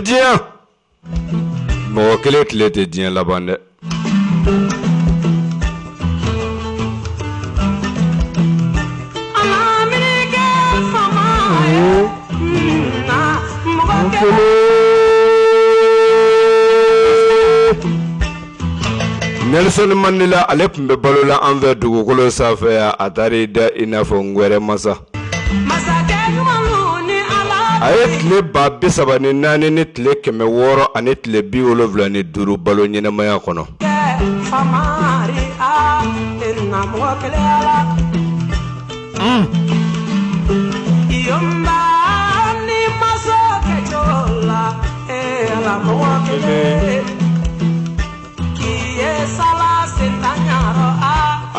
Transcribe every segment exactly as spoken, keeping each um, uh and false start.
Diɲɛ mɔgɔ kelen tile tɛ diɲɛ laban dɛ. Nelson Mandela ale tun bɛ balo la an fɛ dugukolo sanfɛ yan, a taara i da i n'a fɔ ngwɛrɛ masa. A ye tile ba bi saba ni naani ni tile kɛmɛ wɔɔrɔ ani tile bi wolonwula ni duuru balo ɲɛnamaya kɔnɔ.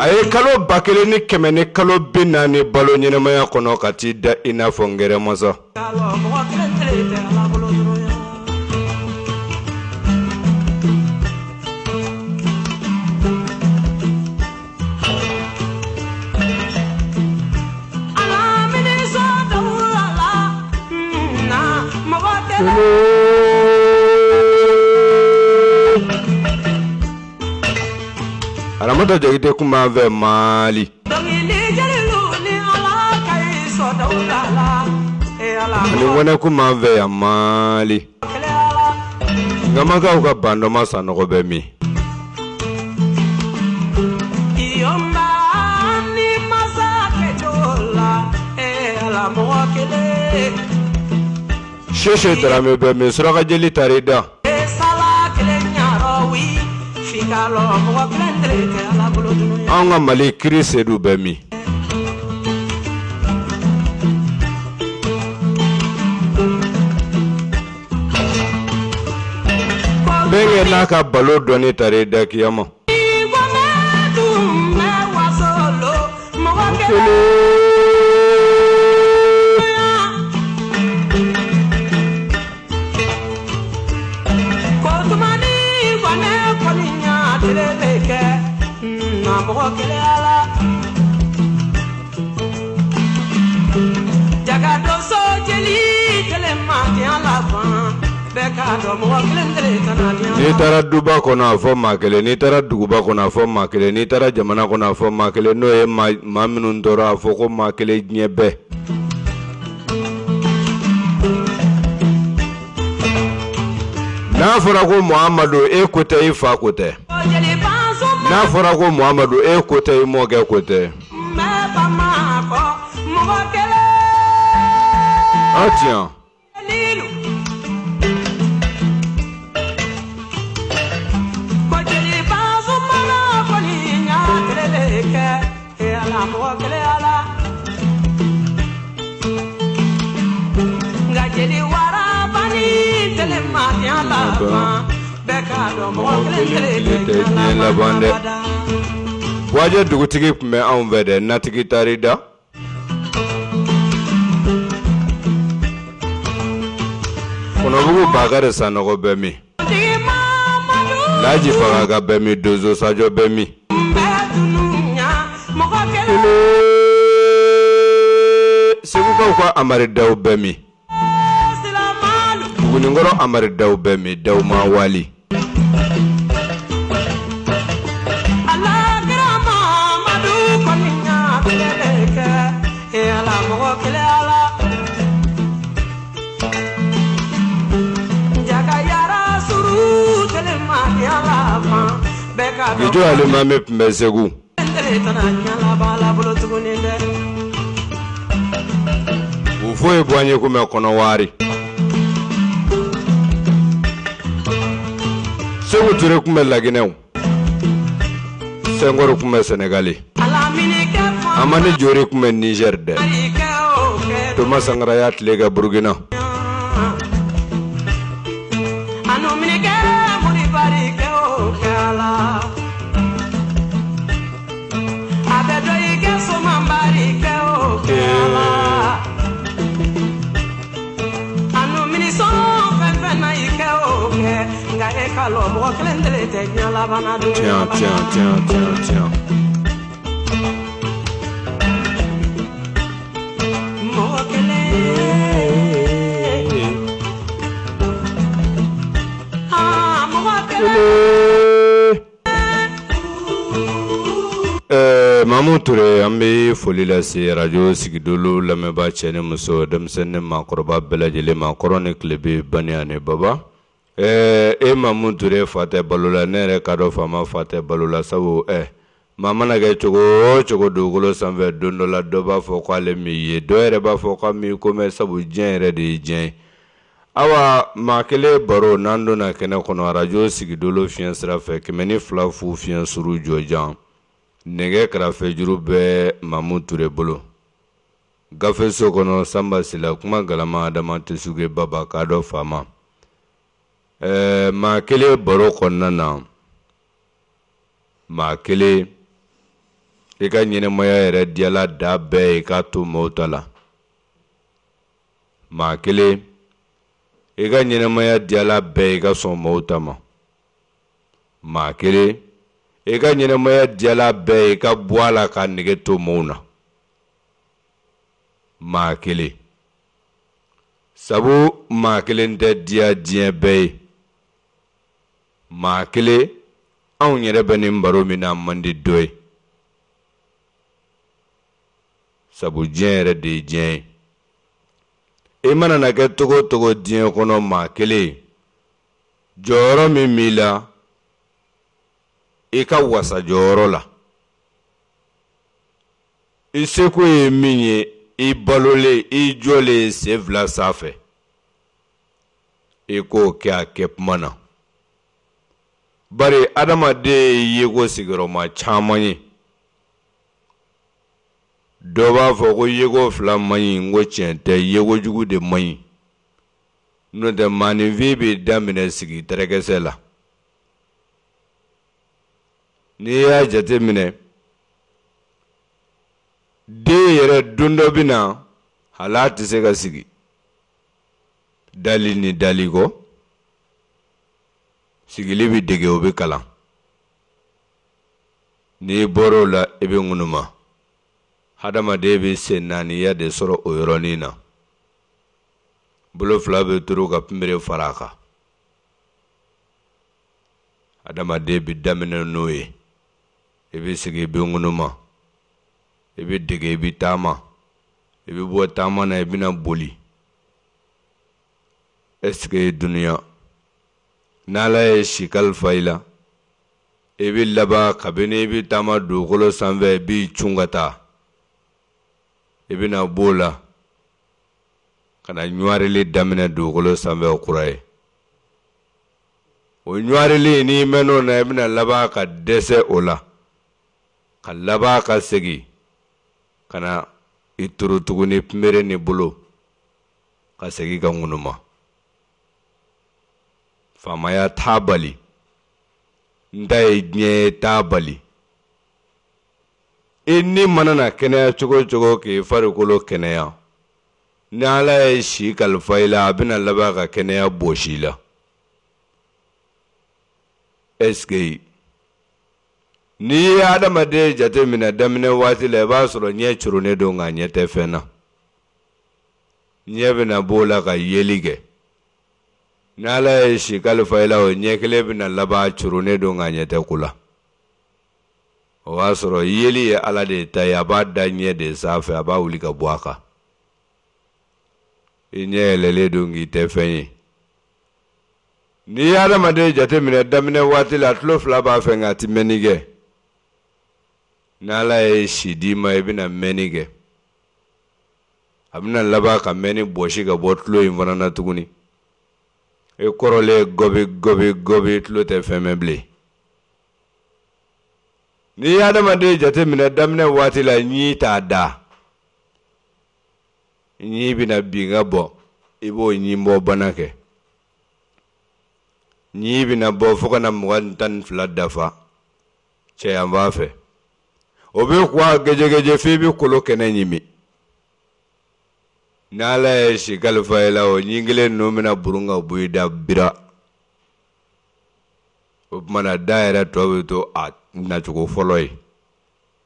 A ye kalo ba kelen ni kɛmɛ ni kalo bi naani balo ɲɛnamaya kɔnɔ ka t'i da i n'a fɔ ngɛrɛ masa. Aramata Jakite kun b'an fɛ Mali. Ani Ŋɔnɛ kun b'an fɛ yan Mali. Ngamakaw ka bandɔma Sanɔgɔ bɛ min? Sese Darame bɛ min? Surakajeli taar'i da. An ka Mali kiri Sedu bɛ min? Bɛnkɛ n'a ka balo dɔnni taar'i da kiyama. N'i taara duba kɔnɔ a fɔ maa kelen, n'i taara duguba kɔnɔ a fɔ maa kelen, n'i taara jamana kɔnɔ a fɔ maa kelen, n'o ye maa minnu tɔɔrɔ a fɔ ko maa kelen diɲɛ bɛɛ. N'a fɔra ko Muhamadu e ko tɛ, i fa ko tɛ. N'a fɔra ko Muhamadu e ko tɛ, i mɔkɛ ko tɛ. Ah tiens. Buwajɛ dugutigi tun bɛ anw fɛ dɛ, natigi taar'i da. Kɔnɔbugu Bakari Sanɔgɔ bɛ min? Laji Fagaga bɛ min? Donso Sajɔ bɛ min? Segukaw ka Amari Daw bɛ min? Buguninkɔrɔ Amari Daw bɛ min? Daw ma wali. Gijo Alimami tun bɛ Segu. U foyi bɔ an ye kun bɛ Kɔnɔwari. Seku Ture tun bɛ Laginɛw. Sɛnkɔri tun bɛ Sɛnɛgali. Amani Jori tun bɛ Nizɛri dɛ. Toma Sankara y'a tile kɛ Burukina. Tiens, tiens, tiens, tiens, tiens. Ɛɛ Mamu Ture, an bɛ foli lase radio Sigidolo lamɛnbaa cɛ ni muso, denmisɛnnin ni maakɔrɔba bɛɛ lajɛlen ma, kɔrɔ ni tilebe, bani ani baba. Ɛɛ e Mamu Ture fa tɛ balo la, ne yɛrɛ ka dɔn faama fa tɛ balo la, sabu ɛ maa mana kɛ cogo o cogo dugukolo sanfɛ, don dɔ la dɔ b'a fɔ k'ale m'i ye, dɔ yɛrɛ b'a fɔ k'a m'i ko mɛn, sabu diɲɛ yɛrɛ de ye diɲɛ ye. Awa maa kelen baro n'an donna kɛnɛ kɔnɔ radio Sigidolo fiɲɛ sira fɛ kɛmɛ ni fila fu fiɲɛ suru jɔjan, nɛgɛ kɛrɛfɛjuru bɛ Mamu Ture bolo. Gafe so kɔnɔ Sanba Sila, kuma galama Adama Tesuge Baba k'a dɔn faama. Ɛɛ maa kelen baro kɔnɔna na, maa kelen i ka ɲɛnɛmaya yɛrɛ diyala da bɛɛ ye k'a to maaw ta la. Maa kelen i ka ɲɛnɛmaya diyala bɛɛ ye ka sɔn maaw ta ma. Maa kelen i ka ɲɛnɛmaya diyala bɛɛ ye ka bɔ a la ka nege to maaw na. Maa kelen, sabu maa kelen tɛ diya diɲɛ bɛɛ ye. Maa kelen, anw yɛrɛ bɛ nin baro min na man di dɔ ye, sabu diɲɛ yɛrɛ de ye diɲɛ ye. I mana na kɛ togo o togo diɲɛ kɔnɔ, maa kelen jɔyɔrɔ min b'i la, i ka wasa jɔyɔrɔ la, i seko ye min ye, i balolen, i jɔlen sen fila sanfɛ, i k'o kɛ a kɛ kuma na. Bari adamaden ye yeko sigiyɔrɔma caman ye. Dɔ b'a fɔ ko yeko fila man ɲi, n ko tiɲɛ tɛ, yeko jugu de man ɲi. N'o tɛ maaninfin bɛ daminɛ sigi tɛrɛkɛsɛ la. N'i y'a jateminɛ, den yɛrɛ don dɔ bɛ na, hali a tɛ se ka sigi. Dali ni dali kɔ, sigili bɛ dege, o bɛ kalan. N'i bɔr'o la, i bɛ ŋunuma. Hadamaden bɛ sen naaniya de sɔrɔ o yɔrɔnin na. Bolo fila bɛ turu ka pinbere fara a kan. Hadamaden bɛ daminɛ n'o ye. I bɛ sigi, i bɛ ŋunuma. I bɛ dege, i bɛ taama. I bɛ bɔ taama na, i bɛna boli. Est-ce que dunuya n'Ala ye si kalifa i la, i bɛ laban kabini i bɛ taama dugukolo sanfɛ, i b'i cun ka taa. I bɛna b'o la ka na ɲuwarili daminɛ dugukolo sanfɛ o kura ye. O ɲuwarili, n'i mɛnn'o na, i bɛna laban ka dɛsɛ o la, ka laban ka segin ka na i turu tuguni pinbere ni bolo, ka segin ka ŋunuma. Faamaya t'a bali, n ta ye diɲɛ ye t'a bali. I ni mana na kɛnɛya cogo o cogo k'i farikolo kɛnɛya, ni Ala ye si kalifa i la, a bɛna laban ka kɛnɛya bɔsi i la. Est-ce que n'i ye adamaden jateminɛ daminɛ waati la, i b'a sɔrɔ ɲɛ curunnen don nka ɲɛ tɛ fɛn na. Ɲɛ bɛna b'o la ka yeli kɛ. N'Ala ye si kalifa i la, o ɲɛ kelen bɛna laban curunnen don nka ɲɛ tɛ ko la. O b'a sɔrɔ yeli ye Ala de ta ye, a b'a da ɲɛ de sanfɛ, a b'a wuli ka bɔ a kan. I ɲɛ yɛlɛlen don k'i tɛ fɛn ye. N'i ye adamaden jateminɛ daminɛ waati la, tulo fila b'a fɛ nka a ti mɛnni kɛ. N'Ala ye si d'i ma, i bɛna mɛnni kɛ. A bɛna laban ka mɛnni bɔsi ka bɔ tulo in fana na tuguni. E kɔrɔlen gɔbi gɔbi gɔbi, tulo tɛ fɛn mɛn bilen. N'i ye adamaden jateminɛ daminɛ waati la, ɲi t'a da. Ɲi bɛna bin ka bɔ, i b'o ɲi bɔ bana kɛ. Ɲi bɛna bɔ fo ka na mugan ni tan ni fila dafa cɛyan b'a fɛ. O bɛ kuwa gɛjɛgɛjɛ f'i bɛ kolo kɛnɛ ɲimi. N'Ala ye si kalifa i la, o ɲin kelen ninnu bɛna burun ka bɔ i da bira. O tuma na da yɛrɛ tɔ bɛ to a nacogo fɔlɔ ye.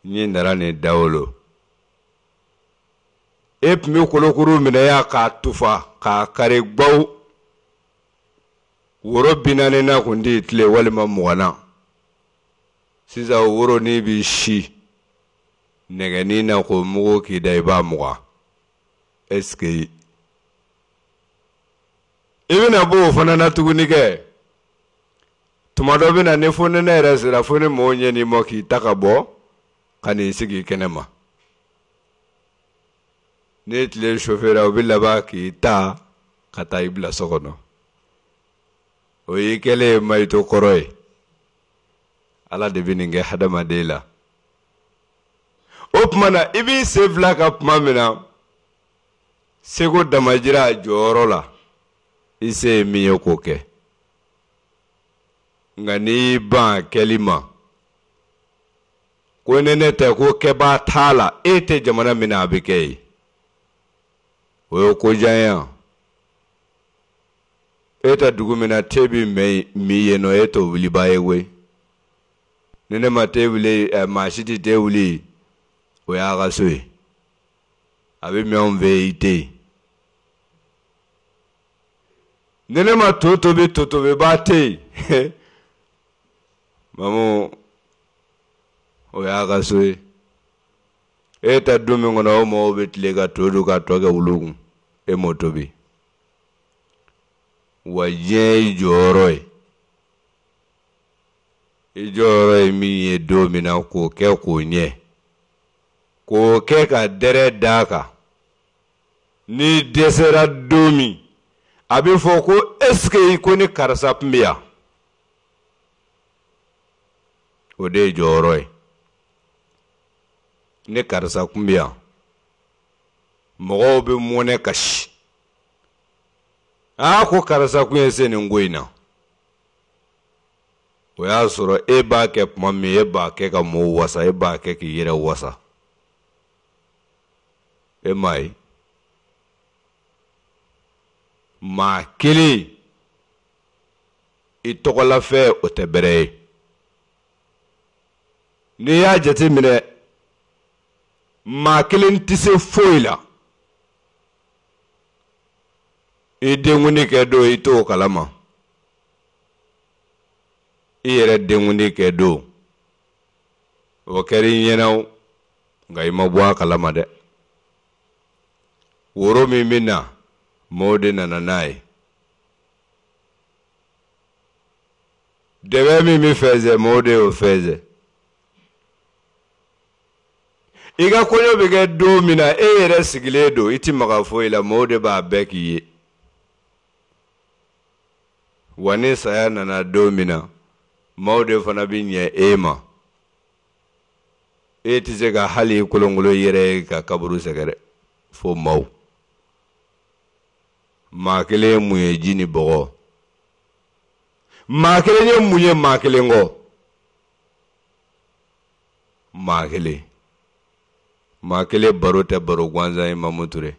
Ɲin nana nin dawolo. E tun bɛ kolokuru minɛ yan k'a tufa k'a kari gbaw. Woro bi naani na kun t'i tile walima mugan na. Sisan o woro n'i b'i si nɛgɛnin na k'o mugu k'i da, i b'a mugan. Est-ce que i bɛna bɔ o fana na tuguni kɛ? Tuma dɔ bɛ na ni fonɛnɛ yɛrɛ sera, fo ni mɔgɔw ɲɛ n'i ma k'i ta ka bɔ ka n'i sigi kɛnɛ ma. Ni tile sofera, o bɛ laban k'i ta ka taa i bila so kɔnɔ. O y'i kɛlen ye mayito kɔrɔ ye. Ala de bɛ nin kɛ hadamaden la. O tuma na i b'i sen fila ka tuma min na, seko damajira a jɔyɔrɔ la, i se ye min ye k'o kɛ. Nka n'i y'i ban a kɛli ma, ko ni ne tɛ ko kɛbaa t'a la, e tɛ jamana min na a bɛ kɛ yen. O ye kojan ye wa? E tɛ dugu min na te bɛ min yen nɔ, e t'o wulibaa ye koyi. Ni ne ma te wuli, maa si tɛ te wuli, o y'a ka so ye. A bɛ min anw fɛ yen, i tɛ yen. Ni ne ma to tobi, to tobibaa tɛ yen. Mamu, o y'a ka so ye. E tɛ du min kɔnɔ, o mɔgɔw bɛ tile ka to dun ka tɔ kɛ wulu kun, e m'o tobi. Wa diɲɛ y'i jɔyɔrɔ ye. I jɔyɔrɔ ye min ye don min na, k'o kɛ k'o ɲɛ. K'o kɛ ka dɛrɛ d'a kan. N'i dɛsɛra don min, a bɛ fɔ ko est-ce que ko ni karisa tun bɛ yan? O de ye jɔyɔrɔ ye. Ni karisa tun bɛ yan, mɔgɔw bɛ mɔnɛ kasi. Aa, ko karisa kun ye se nin ko in na. O y'a sɔrɔ e b'a kɛ tuma min, e b'a kɛ ka mɔgɔw wasa, e b'a kɛ k'i yɛrɛ wasa. E m'a ye. Maa kelen i tɔgɔlafɛn o tɛ bɛrɛ ye. N'i y'a jateminɛ, maa kelen tɛ se foyi la. I denkundi kɛ don, i t'o kalama. I yɛrɛ denkundi kɛ don, o kɛra i ɲɛna o, nka i ma bɔ a kalama dɛ. Woro min bɛ na, mɔɔw de nana n'a ye. Dɛbɛ min bɛ fɛnsɛ, mɔɔw de y'o fɛnsɛ. I ka kɔɲɔ bɛ kɛ don min na, e yɛrɛ sigilen don, i ti maga foyi la, mɔɔw de b'a bɛɛ k'i ye. Wa ni saya nana don min na, maaw de fana bɛ ɲɛ e ma. E tɛ se ka hali i kolonkolon i yɛrɛ ye ka kaburu sɛgɛrɛ fo maaw. Maa kelen ye mun ye ji ni bɔgɔ? Maa kelen ye mun ye maa kelen kɔ? Maa kelen. Maa kelen baro tɛ baro gansan ye, Mamu Ture.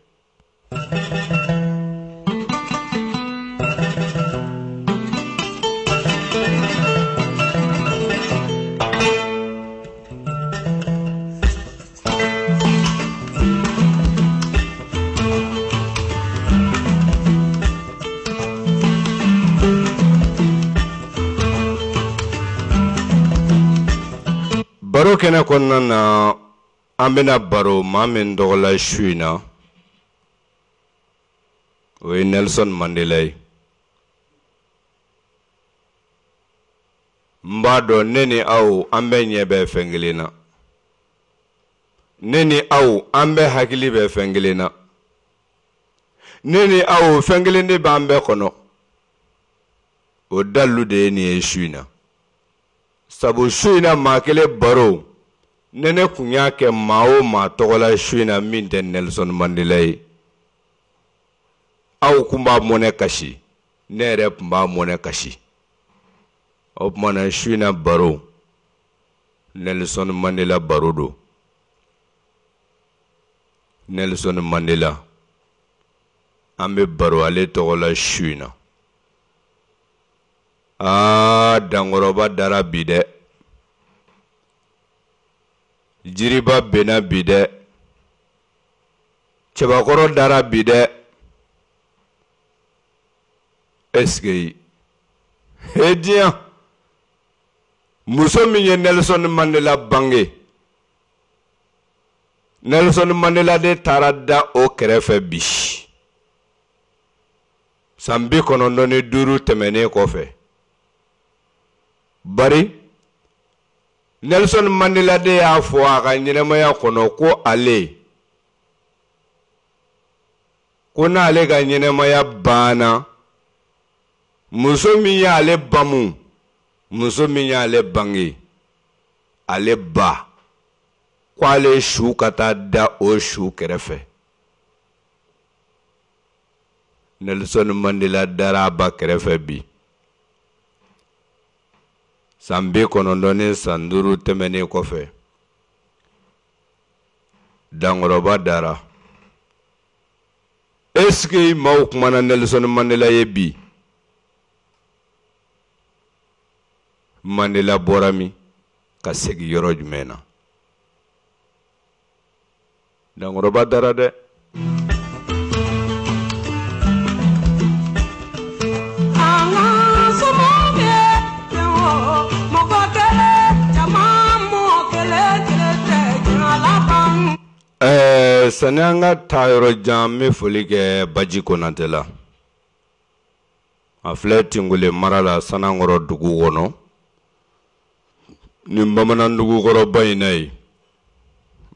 Baro kɛnɛ kɔnɔna na, an bɛna baro maa min tɔgɔ la su in na, o ye Nelson Mandela ye. N b'a dɔn ne ni aw an bɛɛ ɲɛ bɛ fɛn kelen na, ne ni aw an bɛɛ hakili bɛ fɛn kelen na, ne ni aw fɛn kelen de b'an bɛɛ kɔnɔ. O dalilu de ye nin ye su in na. Sabu su in na maa kelen baro, ne ne kun y'a kɛ maa o maa tɔgɔ la su in na min tɛ Nelson Mandela ye, aw kun b'a mɔnɛ kasi, ne yɛrɛ kun b'a mɔnɛ kasi. O tuma na su in na baro, Nelson Mandela baro don. Nelson Mandela, an bɛ baro ale tɔgɔ la su in na. Aa, dankɔrɔba dara bi dɛ, jiriba benna bi dɛ, cɛbakɔrɔ dara bi dɛ. Est-ce que he diɲɛ, muso min ye Nelson Mandela bange, Nelson Mandela de taara da o kɛrɛfɛ bi san bi kɔnɔntɔn ni duuru tɛmɛnen kɔfɛ. Bari Nelson Mandela de y'a fɔ a ka ɲɛnɛmaya kɔnɔ ko ale, ko n'ale ka ɲɛnɛmaya banna, muso min y'ale bamu, muso min y'ale bange, ale ba, ko ale su ka taa da o su kɛrɛfɛ. Nelson Mandela dara a ba kɛrɛfɛ bi san bi kɔnɔntɔn ni san duuru tɛmɛnen kɔfɛ. Dankɔrɔba dara. Est-ce que maaw kumana Nelson Mandela ye bi? Mandela bɔra min ka segin yɔrɔ jumɛn na? Dankɔrɔba dara dɛ. Ɛɛ, sani an ka taa yɔrɔ jan, n bɛ foli kɛ Baji Konatɛ la. A filɛ Tingole mara la, Sanankɔrɔ dugu kɔnɔ. Nin bamanan dugukɔrɔba in na yen,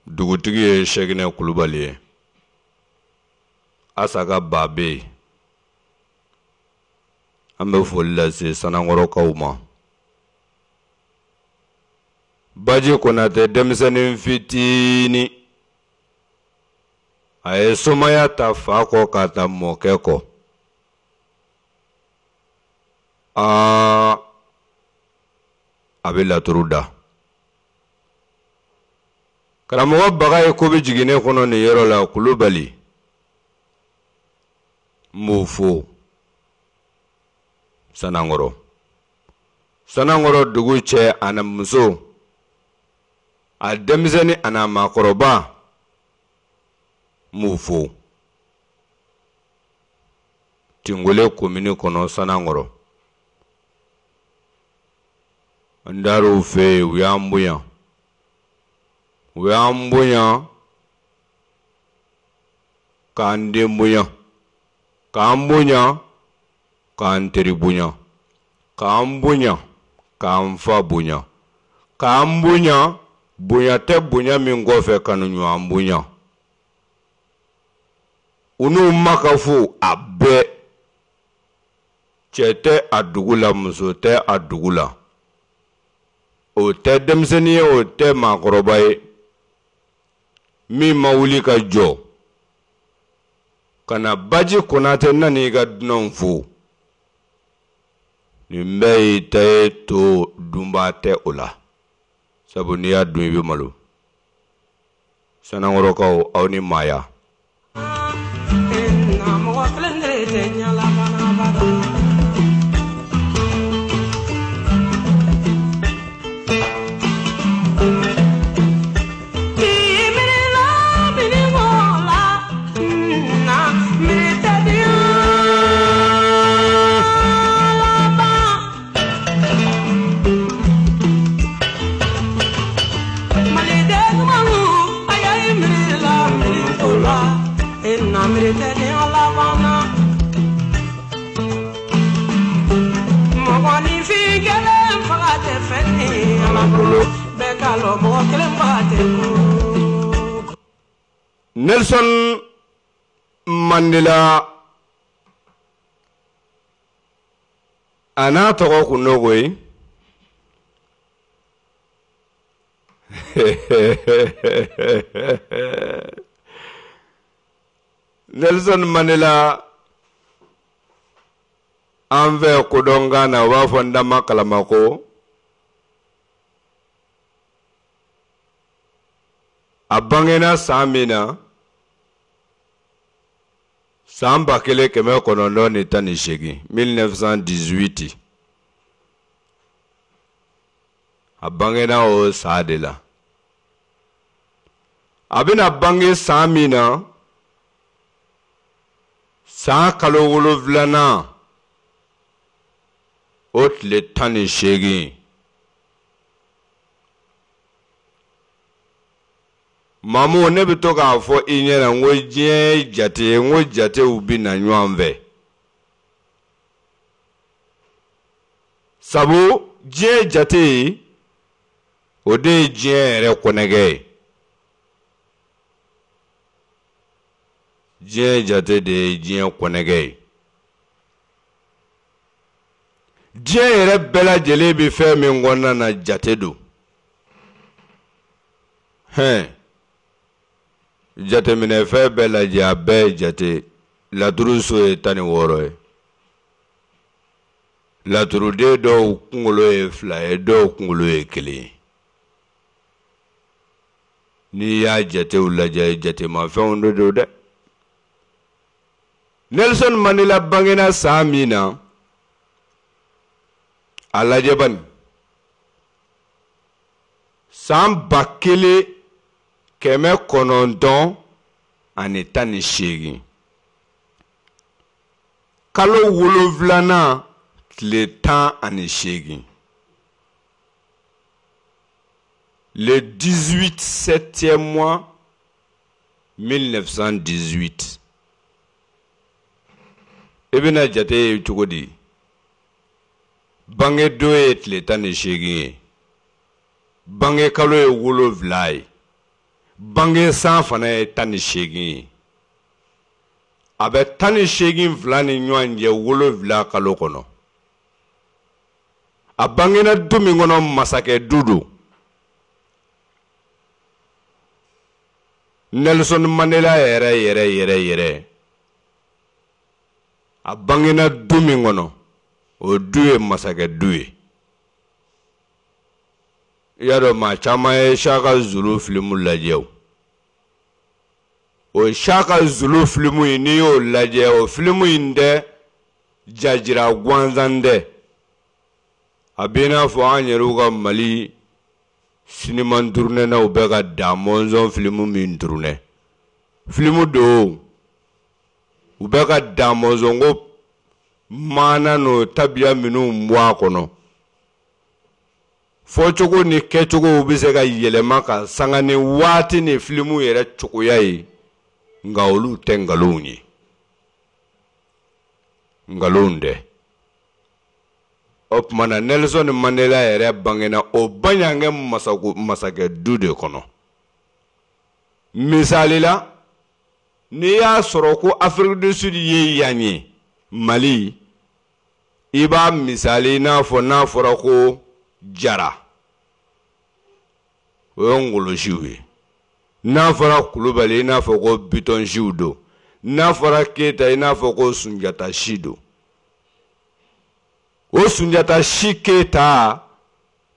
dugutigi ye Sɛkinɛ Kulubali ye. Asaka ba bɛ yen. An bɛ foli lase Sanankɔrɔkaw ma. Baji Konatɛ denmisɛnnin fitinin, a ye somaya ta fa kɔ k'a ta mɔkɛ kɔ. Aa, a bɛ laturu da. Karamɔgɔ Baga ye ko bɛ jigin ne kɔnɔ nin yɔrɔ la, Kulubali, n b'o fo Sanankɔrɔ. Sanankɔrɔ dugu cɛ ani muso, a denmisɛnnin ani a maakɔrɔba, n b'o fo Tingole komini kɔnɔ, Sanankɔrɔ. N dar'u fɛ yen, u y'an bonya, u y'an bonya k'an den bonya, k'an bonya k'an teri bonya, k'an bonya k'an fa bonya, k'an bonya, bonya tɛ bonya min kɔfɛ kanu ɲɔgɔn bonya. U n'u makafo a bɛɛ, cɛ tɛ a dugu la, muso tɛ a dugu la, o tɛ denmisɛnnin ye, o tɛ maakɔrɔba ye, min ma wuli ka jɔ ka na Baji Konatɛ nan'i ka dunanw fo, nin bɛɛ y'i ta ye, to dunbaa tɛ o la, sabu n'i y'a dun i bɛ malo. Sanankɔrɔkaw, aw ni maaya. Nelson Mandela a n'a tɔgɔ kun don koyi. Nelson Mandela an fɛ kodɔnkan na u b'a fɔ n dama kalama ko a bangena san min na san ba kelen kɛmɛ kɔnɔntɔn ni tan ni seegin mille neuf cent dix-huit a bangena o san de la. A bɛna bange san min na san kalo wolonfilanan o tile tan ni seegin Mamu ne bɛ to k'a fɔ i ɲɛna n ko diɲɛ ye jate ye, n ko jatew bɛ na ɲɔgɔn fɛ. Sabu diɲɛ jate o de ye diɲɛ yɛrɛ kɔnɛgɛ ye. Diɲɛ jate de ye diɲɛ kɔnɛgɛ ye. Diɲɛ yɛrɛ bɛɛ lajɛlen bɛ fɛn min kɔnɔna na jate don. Hɛn. Jateminɛfɛn bɛɛ lajɛ a bɛɛ ye jate. Laturu so ye tan ni wɔɔrɔ ye. Laturuden dɔw kunkolo ye fila ye, dɔw kunkolo ye kelen ye. N'i y'a jatew lajɛ jatemafɛnw de don dɛ. Nelson Mandela bangena san min na a lajɛ bani san ba kelen kɛmɛ kɔnɔntɔn ani tan ni seegin kalo wolonfilanan tile tan ani seegin le dix-huit septième mois mille neuf cent dix-huit. I bɛna jate ye cogo di? Bangedon ye tile tan ni seegin ye, bange kalo ye wolonfila ye, bange san fana ye tan ni seegin ye. A bɛ tan ni seegin fila ni ɲɔgɔn cɛ wolonfila kalo kɔnɔ. A bangena du min kɔnɔ masakɛ du don. Nelson Mandela yɛrɛ yɛrɛ yɛrɛ yɛrɛ a bangena du min kɔnɔ o du ye masakɛ du ye. I y'a dɔn maa caman ye Shaka Zulu filimu lajɛ o. O Shaka Zulu filimu in n'i y'o lajɛ o filimu in tɛ jajira gansan tɛ. A b'i n'a fɔ an yɛrɛw ka Mali siniman turunɛnaw bɛ ka da mɔnzɔn filimu min turunɛ. Filimu don u bɛ ka da mɔnzɔn ko maana n'o tabiya minnu bɔ a kɔnɔ. Fɔcogo ni kɛcogow bɛ se ka yɛlɛma ka sanga ni waati ni filimu yɛrɛ cogoya ye, nka olu tɛ nkalonw ye. Nkalonw tɛ. O tuma na Nelson Mandela yɛrɛ bangena o baɲankɛ masakɛ du de kɔnɔ. Misali la, n'i y'a sɔrɔ ko Afrique du Sud ye yan ye, Mali, i b'a misali i n'a fɔ n'a fɔra ko Jara, o ye ngolosiw ye. N'a fɔra Kulubali i n'a fɔ ko Bitɔnsiw don. N'a fɔra Keyita i n'a fɔ ko Sunjata si don. O Sunjata si Keyita,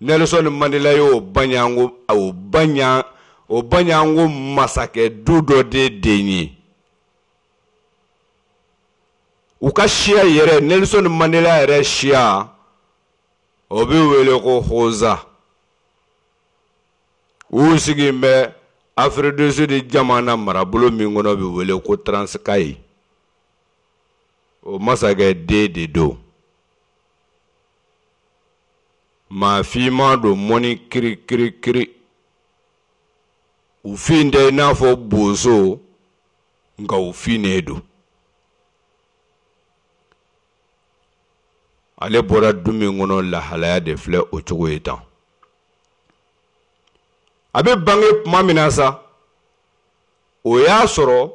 Nelson Mandela y'o baɲango o baɲan o baɲango masakɛ du dɔ de den ye. U ka siya yɛrɛ Nelson Mandela yɛrɛ siya o bɛ wele ko Hoza. U sigilen bɛ Afrique du Sud jamana marabolo min kɔnɔ bɛ wele ko Transkei. O masakɛ den de don. Maa finman don mɔni kiri kiri kiri. U fin tɛ i n'a fɔ bozo Nka o finnen don. Ale bɔra du min kɔnɔ, lahalaya de filɛ o cogo ye tan. A bɛ bange tuma min na sa, o y'a sɔrɔ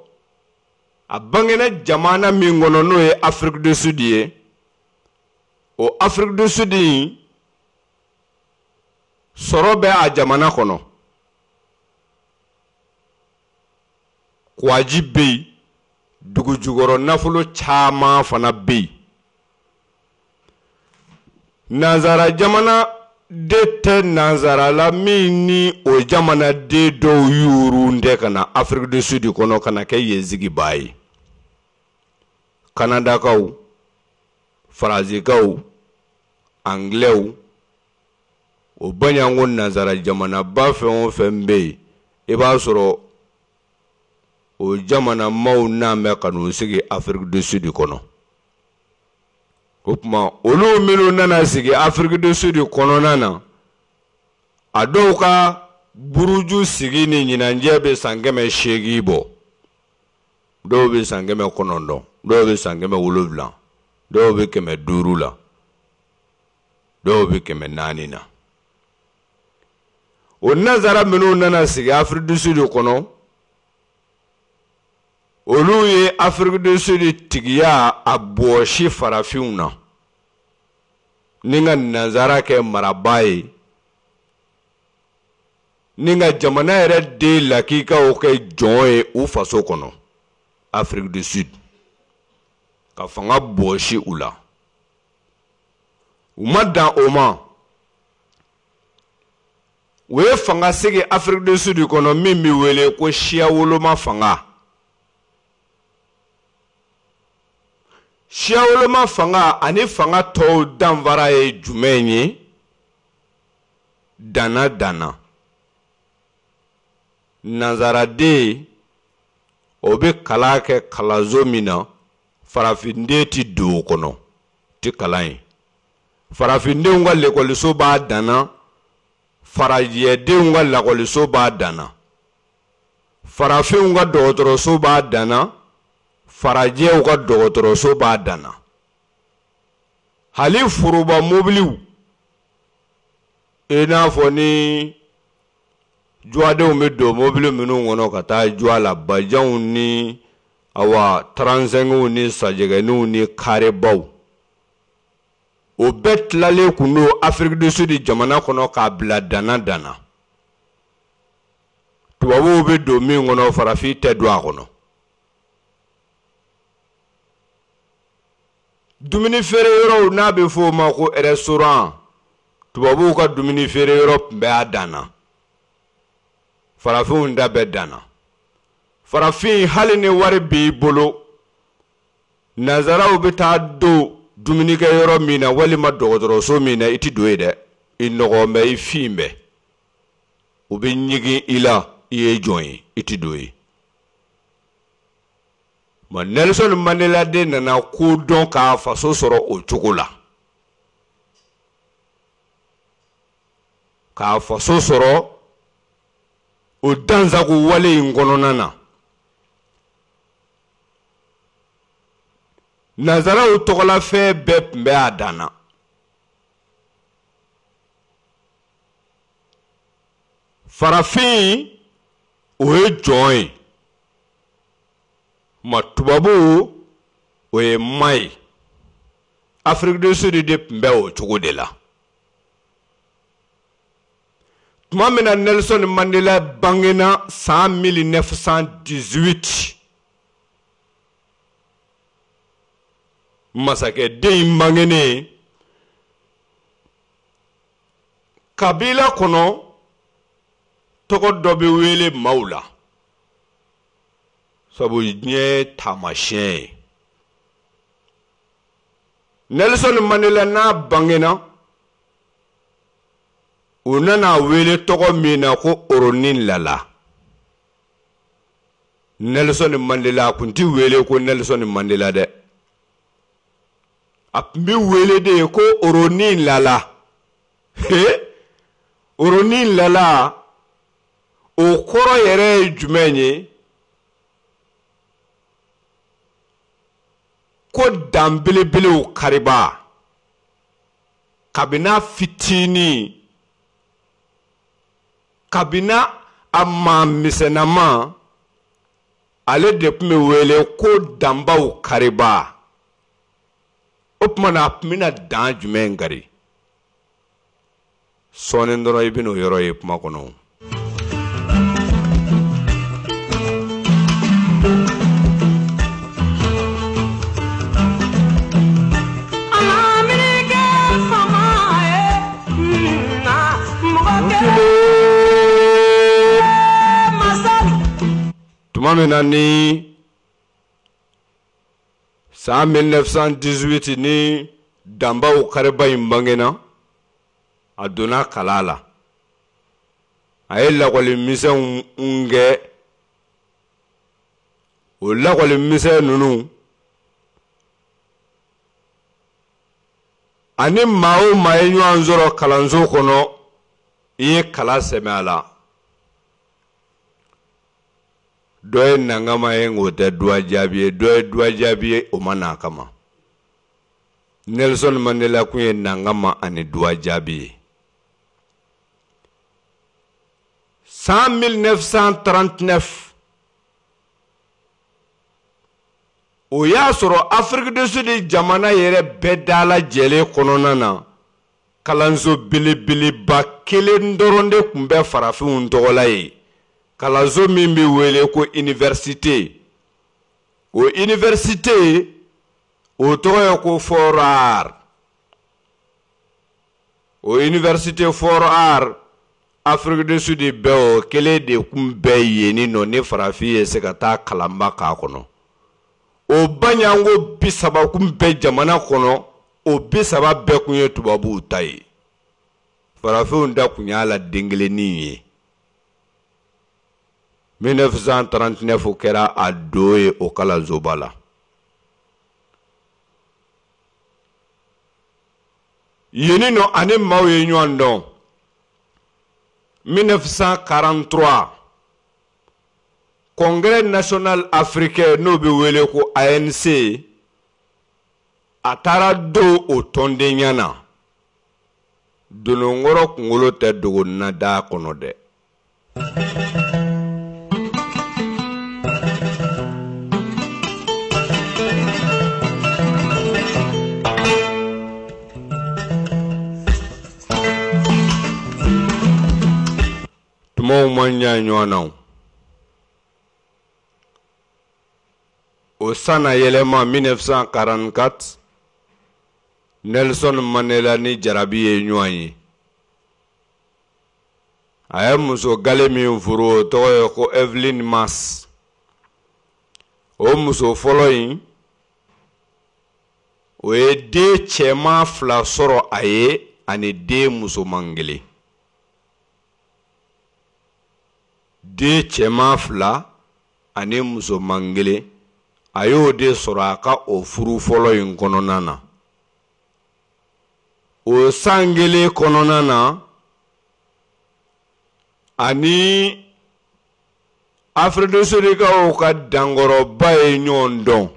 a bangena jamana min kɔnɔ, n'o ye Afrique du Sud ye, o Afrique du Sud in, sɔrɔ bɛ a jamana kɔnɔ. Kwaji bɛ yen, dugu jukɔrɔ nafolo caman fana bɛ yen. Nanzara jamana de tɛ nanzara la min ni o jamanaden dɔw yurun tɛ ka na Afrique du Sud kɔnɔ ka na kɛ yen sigibaa ye. Kanadakaw, Faransikaw, Anglɛw, o baɲanko nanzara jamanaba fɛn o fɛn bɛ yen, i b'a sɔrɔ o jamana maaw n'an bɛ ka n'u sigi Afrique du Sud kɔnɔ. O tuma, olu minnu nana sigi Afrique du Sud kɔnɔna na, a dɔw ka buruju sigi ni ɲinanjɛ bɛ san kɛmɛ seegin bɔ, dɔw bɛ san kɛmɛ kɔnɔntɔn, dɔw bɛ san kɛmɛ wolonwula, dɔw bɛ kɛmɛ duuru la, dɔw bɛ kɛmɛ naani na. O nanzara minnu nana sigi Afrique du Sud kɔnɔ, olu ye Afrique du Sud tigiya a bɔsi farafinw na ni ka nanzara kɛ marabaa ye, ni ka jamana yɛrɛ den lakikaw kɛ jɔn ye u faso kɔnɔ, Afrique du Sud, ka fanga bɔsi u la. U ma dan o ma, u ye fanga sigi Afrique du Sud kɔnɔ min bɛ wele ko siya woloma fanga. Siya woloma fanga ani fanga tɔw danfara ye jumɛn ye? Danna danna. Nanzaraden, o bɛ kalan kɛ kalanso min na, farafinden ti don o kɔnɔ, ti kalan ye. Farafindenw ka lekɔliso b'a danna, farajɛdenw ka lakɔliso b'a danna, farafinw ka dɔgɔtɔrɔso b'a danna, farajɛw ka dɔgɔtɔrɔso b'a danna. Hali foroba mobiliw, i n'a fɔ ni juwadenw bɛ don mobili minnu kɔnɔ ka taa juwa la, bajanw ni awa taransengiw ni sajɛgɛniw ni karebaw, o bɛɛ tilalen kun don Afrique du Sud jamana kɔnɔ k'a bila danna danna. Tubabuw bɛ don min kɔnɔ, farafin tɛ don a kɔnɔ. Dumuni feere yɔrɔw, n'a bɛ f'o ma ko restaurant, tubabuw ka dumuni feere yɔrɔ tun bɛ a danna, farafinw da bɛ danna. Farafin, hali ni wari b'i bolo, nanzaraw bɛ taa don dumunikɛ yɔrɔ min na walima dɔgɔtɔrɔso min na, i ti don yen dɛ. I nɔgɔn bɛ, i fin bɛ, u bɛ ɲigin i la, i ye jɔn ye, i ti don yen. Ma Nelson Mandela de nana ko dɔn k'a faso sɔrɔ o cogo la, k'a faso sɔrɔ o dansago wale in kɔnɔna na. Nanzaraw tɔgɔlafɛn bɛɛ tun bɛ a dan na. Farafin, o ye jɔn ye, ma tubabu, o ye ma ye. Afrique du Sud de tun bɛ o cogo de la. Tuma min na Nelson Mandela bangena san mille neuf cent dix-huit, masakɛden in bangenen kabila kɔnɔ, tɔgɔ dɔ bɛ wele maaw la, sabu diɲɛ taamasiyɛn ye. Nelson Mandela n'a bangena, u nana wele tɔgɔ min na ko Rolihlahla. Nelson Mandela a kun ti wele ko Nelson Mandela dɛ, a tun bɛ wele de ko Rolihlahla. He, Rolihlahla, o kɔrɔ yɛrɛ ye jumɛn ye? Ko dan belebelew kariba kabini fitinin, kabini a maa misɛnnama, ale de tun bɛ wele ko danbaw kariba. O tuma na a tun bɛna dan jumɛn kari? Sɔɔni dɔrɔn i bɛn'o yɔrɔ ye kuma kɔnɔ. Tuma min na ni san mille neuf cent dix-huit ni danbaw kariba in bangena, a donna kala la. A ye lakɔli misɛnw kɛ. O lakɔli misɛn ninnu ani maa o maa ye ɲɔgɔn sɔrɔ kalanso kɔnɔ, i ye kala sɛmɛ a la. Dɔ ye nangama ye o tɛ duwa jaabi ye, dɔ ye duwa jaabi ye o ma n'a kama. Nelson Mandela kun ye nangama ani duwa jaabi ye. San mille neuf cent trente-neuf, o y'a sɔrɔ Afrique du Sud jamana yɛrɛ bɛɛ dalajɛlen kɔnɔna na, kalanso belebeleba kelen dɔrɔn de tun bɛ farafinw tɔgɔ la yen. Kalanso min bɛ wele ko université. O université o tɔgɔ ye ko Fort Hare. O université Fort Hare, Afrique du Sud bɛɛ o kelen de kun bɛ yen nɔ ni farafin ye se ka taa kalanba k'a kɔnɔ. O baɲango bi saba kun bɛ jamana kɔnɔ, o bi saba bɛɛ kun ye tubabuw ta ye. Farafinw da kun y'a la den kelennin ye. mille neuf cent trente-neuf kɛra a don ye o kalansoba la. Yen nɔ ani maaw ye ɲɔgɔn dɔn. mille neuf cent quarante-trois, Congrès national africain n'o bɛ wele ko A N C, a taara don o tɔndenya na. Dononkɔrɔ kunkolo tɛ dogo na da kɔnɔ dɛ. Tumaw man jan ɲɔgɔn na. O sanna yɛlɛma mille neuf cent quarante-quatre, Nelson Mandela ni jarabi ye ɲɔgɔn ye. A ye muso gale min furu, o tɔgɔ ye ko Evelyn Mase. O muso fɔlɔ in, o ye den cɛman fila sɔrɔ a ye ani den musoman kelen. Den cɛman fila ani musoman kelen, a y'o de sɔrɔ a ka o furu fɔlɔ in kɔnɔna na. O san kelen kɔnɔna na, ani Afrique du Sud kaw ka dankɔrɔba ye ɲɔgɔn dɔn,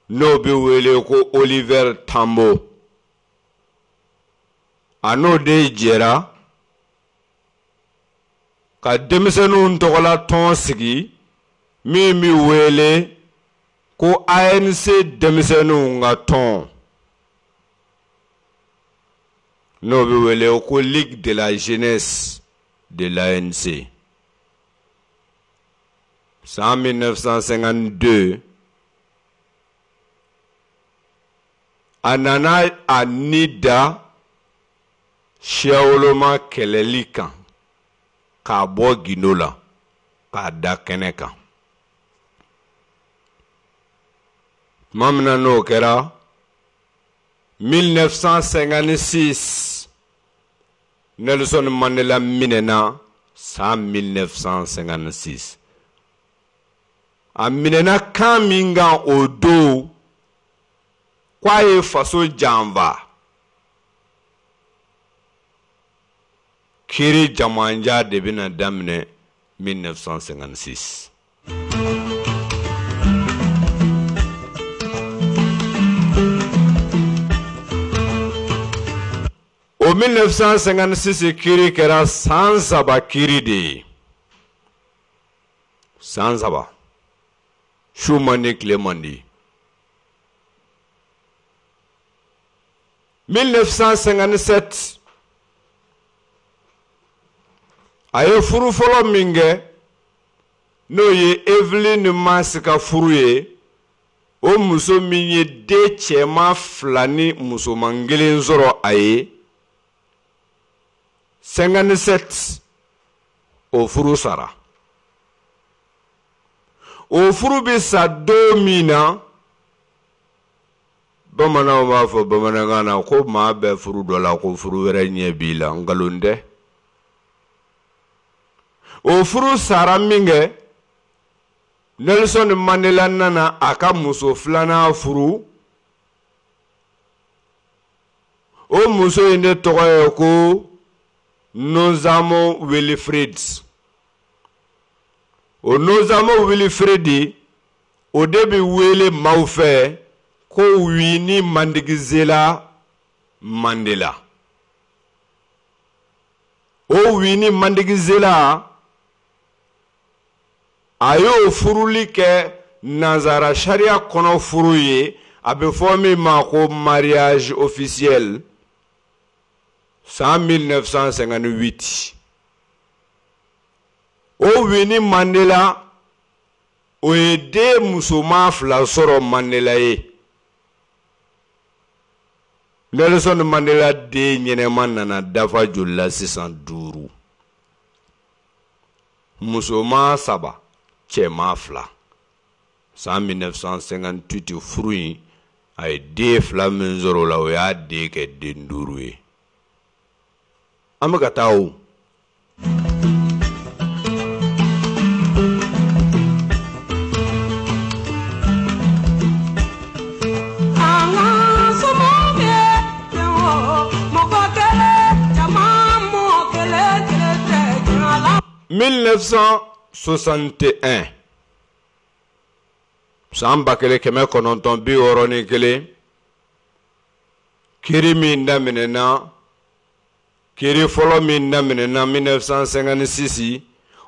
n'o bɛ wele ko Oliver Tambo. A n'o de jɛra ka denmisɛnninw tɔgɔla tɔn sigi min bɛ wele ko A N C denmisɛnninw ka tɔn, n'o bɛ wele ko Ligue de la jeunesse de l'A N C. San mille neuf cent cinquante-deux, a nana a ni da siyawoloma kɛlɛli kan k'a bɔ gindo la k'a da kɛnɛ kan. Tuma min na n'o kɛra mille neuf cent cinquante-six, Nelson Mandela minɛna san mille neuf cent cinquante-six. A minɛna kan min kan o don, k'a ye faso janfa. Kiiri jamanja de bɛna daminɛ mille neuf cent cinquante-six. O mille neuf cent cinquante-six kiiri kɛra san saba kiiri de ye. San saba. Su man di, tile man di. mille neuf cent cinquante-sept a ye furu fɔlɔ min kɛ n'o ye Evelyn Masi ka furu ye, o muso min ye den cɛman fila ni musoman kelen sɔrɔ a ye, cinquante-sept o furu sara. O furu bɛ sa don min na, bamananw b'a fɔ bamanankan na ko maa bɛɛ furu dɔ la ko furu wɛrɛ ɲɛ b'i la, nkalon tɛ. O furu sara min kɛ, Nelson Mandela nana a ka muso filanan furu. O muso in de tɔgɔ ye ko Nozamo Wilfred. O Nozamo Wilfred, o de bɛ wele maaw fɛ ko Winnie Madikizela Mandela. O Winnie Madikizela a y'o furuli kɛ nanzara sariya kɔnɔ furu ye, a bɛ fɔ min ma ko mariage officiel san mille neuf cent cinquante-huit. O Winnie Mandela o ye den musoman fila sɔrɔ Mandela ye. Nelson Mandela den ɲɛnɛma nana dafa joli la sisan? Duuru. Musoman saba, cɛman fila. San mille neuf cent cinquante-huit furu in, a ye den fila min sɔrɔ o la, o y'a den kɛ den duuru ye. An bɛ ka taa o. mille neuf cent soixante et un, san ba kelen kɛmɛ kɔnɔntɔn bi wɔɔrɔ ni kelen, kiiri min daminɛna, kiiri fɔlɔ min daminɛna mille neuf cent cinquante-six,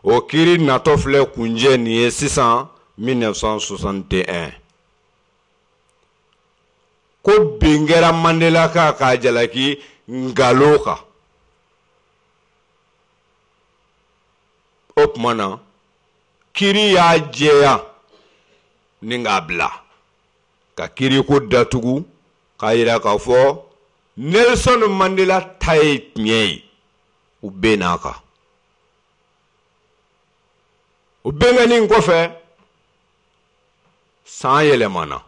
o kiiri natɔ filɛ kunjɛ nin ye sisan mille neuf cent soixante et un. Ko bin kɛra Mandela kan k'a jalaki nkalon kan. O tuma na kiiri y'a jɛya ni k'a bila ka kiiriko datugu k'a yira k'a fɔ Nelson Mandela ta ye tiɲɛ ye, u bɛnn'a kan. O bɛnkanni kɔfɛ, san yɛlɛmana.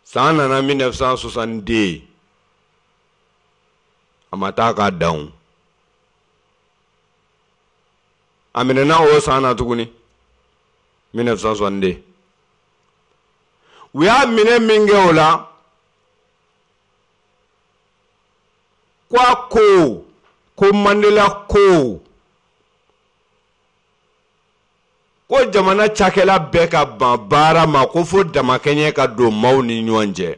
San nana mille neuf cent soixante-deux, a ma taa k'a dan. A minɛna o san na tuguni mille neuf cent soixante-deux. U y'a minɛ min kɛ o la, ko a ko ko Mandela ko ko jamana cakɛla bɛɛ ka ban baara ma ko fo damakɛɲɛ ka don maaw ni ɲɔgɔn cɛ.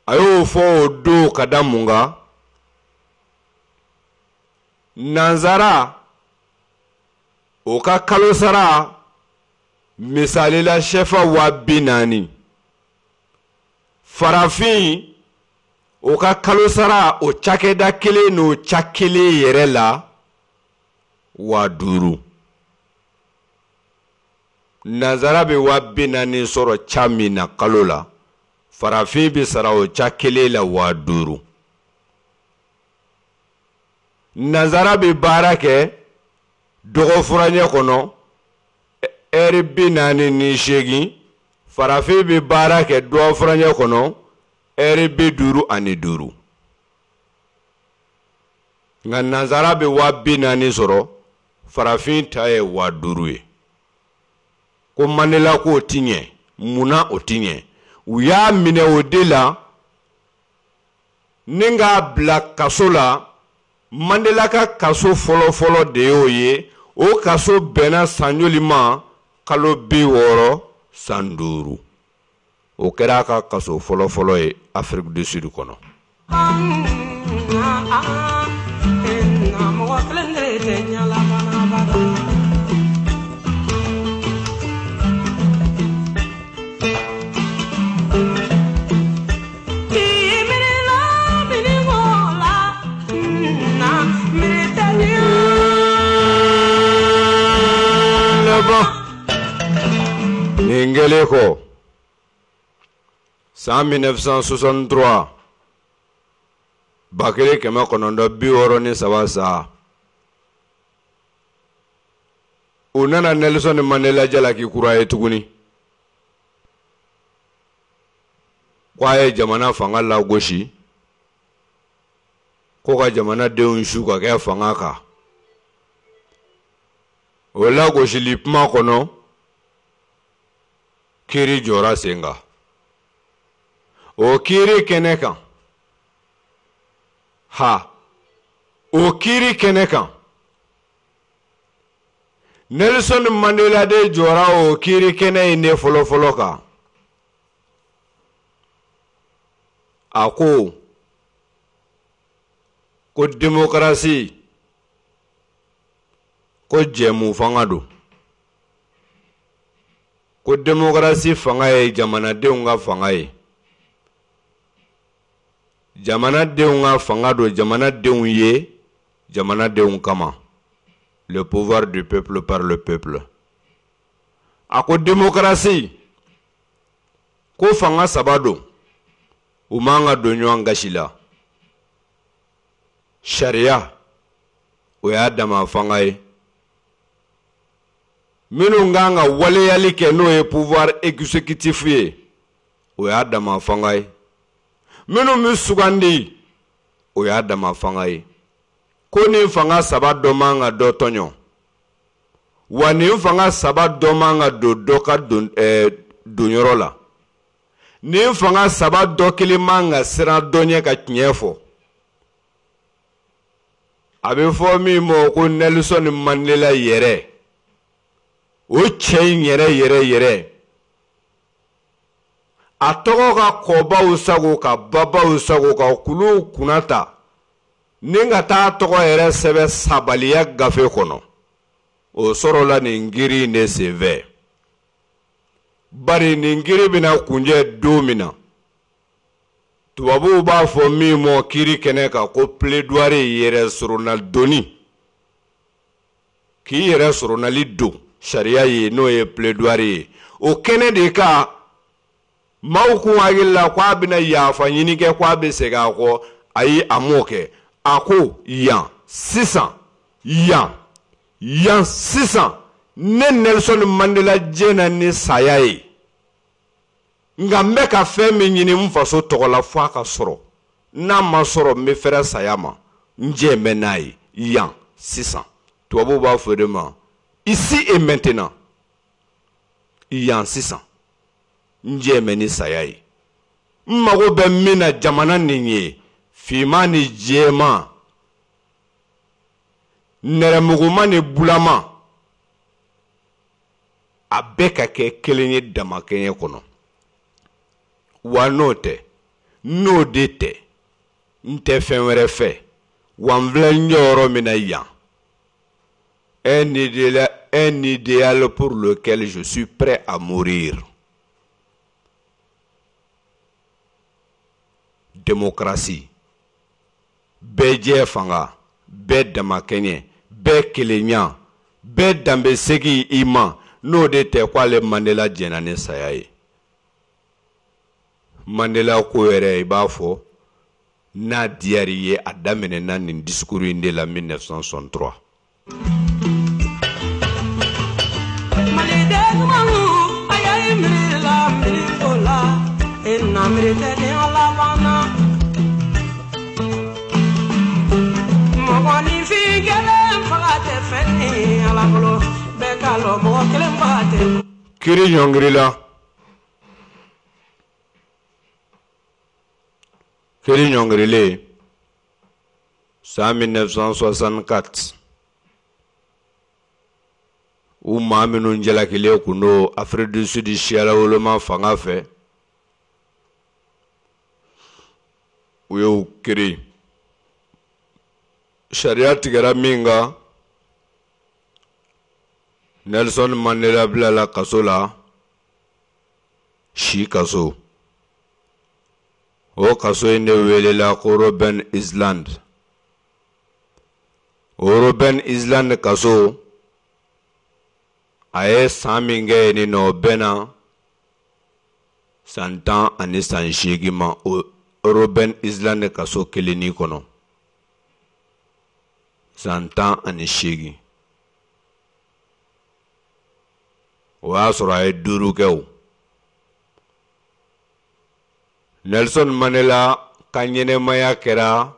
A y'o fɔ o don ka da mun kan? Nanzara o ka kalo sara misali la sɛfa waa bi naani, farafin o ka kalo sara o cakɛda kelen n'o ca kelen yɛrɛ la waa duuru. Nanzara bɛ waa bi naani sɔrɔ ca min na kalo la, farafin bɛ sara o ca kelen la waa duuru. Nanzara bɛ baara kɛ dɔgɔfuraɲɛ kɔnɔ ɛri bi naani ni seegin, farafin bɛ baara kɛ dɔgɔfuraɲɛ kɔnɔ ɛri bi duuru ani duuru. Nka nanzara bɛ waa bi naani sɔrɔ, farafin ta ye waa duuru ye. Ko Mandela k'o ti ɲɛ, munna o ti ɲɛ? U y'a minɛ o de la ni k'a bila kaso la. Mandela ka kaso fɔlɔ-fɔlɔ de y'o ye. O kaso bɛnna san joli ma? Kalo bi wɔɔrɔ san duuru. O kɛra a ka kaso fɔlɔfɔlɔ ye Afrique du Sud kɔnɔ. Nin kɛlen kɔ, san mille neuf cent soixante-trois, ba kelen kɛmɛ kɔnɔntɔn bi wɔɔrɔ ni saba sa, u nana Nelson Mandela jalaki kura ye tuguni ko a ye jamana fanga lagosi, ko ka jamanadenw su ka kɛ fanga kan. O lagosili kuma kɔnɔ, kiiri jɔra sen kan. O kiiri kɛnɛ kan, ha, o kiiri kɛnɛ kan, Nelson Mandela de jɔra o kiiri kɛnɛ in de fɔlɔfɔlɔ kan. A ko ko démocratie ko jɛmu fanga don, ko démocratie fanga ye jamanadenw ka fanga ye, jamanadenw ka fanga don jamanadenw ye jamanadenw kama, le pouvoir du peuple par le peuple. A ko démocratie ko fanga saba don, u man ka don ɲɔgɔn gasi la. Sariya o y'a dama fanga ye, minnu kan ka waleyali kɛ n'o ye pouvoir exécutif ye, o y'a dama fanga ye, minnu bɛ sugandi o y'a dama fanga ye. Ko nin fanga saba dɔ man ka dɔ tɔɲɔ, wa nin fanga saba dɔ man ka don dɔ ka don ɛɛ donyɔrɔ la, nin fanga saba dɔ kelen man ka siran dɔ ɲɛ ka tiɲɛ fɔ. A bɛ fɔ min ma ko Nelson Mandela yɛrɛ, o cɛ in yɛrɛ yɛrɛ yɛrɛ, a tɔgɔ ka kɔbaw sago ka babaw sago ka kuluw kunna ta ni ka taa tɔgɔ yɛrɛ sɛbɛn sabaliya gafe kɔnɔ, o sɔrɔla nin kiiri in de senfɛ. Bari nin kiiri bɛna kunjɛ don min na, tubabuw b'a fɔ min ma kiiri kɛnɛ kan ko plaidoirie, yɛrɛ sɔrɔnadonni, k'i yɛrɛ sɔrɔnali don sariya ye, n'o ye plaidoirie ye. O kɛnɛ de kan maaw kun hakili la k'a bɛna yafa ɲini kɛ, k'a bɛ segin a kɔ. Ayi, a m'o kɛ. A ko yan sisan, yan yan sisan, ne Nelson Mandela jɛna ni saya ye, nka n bɛ ka fɛn min ɲini n faso tɔgɔ la f'a ka sɔrɔ, n'a ma sɔrɔ n bɛ fɛrɛ saya ma, n jɛ bɛ n'a ye yan sisan. Tubabuw b'a fɔ de ma ici et maintenant, yan sisan, n jɛ bɛ ni saya ye, n mago bɛ min na jamana nin ye, finman ni jɛman, nɛrɛmuguma ni bulama, a bɛɛ ka kɛ kelen ye damakɛɲɛ kɔnɔ. Wa n'o tɛ, n'o de tɛ, n tɛ fɛn wɛrɛ fɛ, wa n filɛ n jɔyɔrɔ min na yan, un idéal, un idéal pour lequel je suis prêt à mourir. Démocratie, bɛɛ jɛ fanga, bɛɛ damakɛɲɛ, bɛɛ kelenya, bɛɛ danbe segin i ma, n'o de tɛ k'ale Mandela jɛnna ni saya ye. Mandela ko yɛrɛ i b'a fɔ n'a diyar'i ye, a daminɛna nin discours in de la mille neuf cent soixante-trois. Kiiri ɲɔngirila, kiiri ɲɔngirilen san mille neuf cent soixante-quatre, u maa minnu jalakilen kun don Afrique du Sud siyalawoloma fanga fɛ, U y'o créé. Sariya tigɛra min kan, Nelson Mandela bilala kaso la, si kaso. O kaso in de welela ko Robben Island. O Robben Island kaso, a ye san min kɛ yen nɔ, o bɛnna san tan ani san seegin ma o Robben Island kaso kelennin kɔnɔ. San tan ani seegin. O y'a sɔrɔ a ye duuru kɛ o. Nelson Mandela ka ɲɛnɛmaya kɛra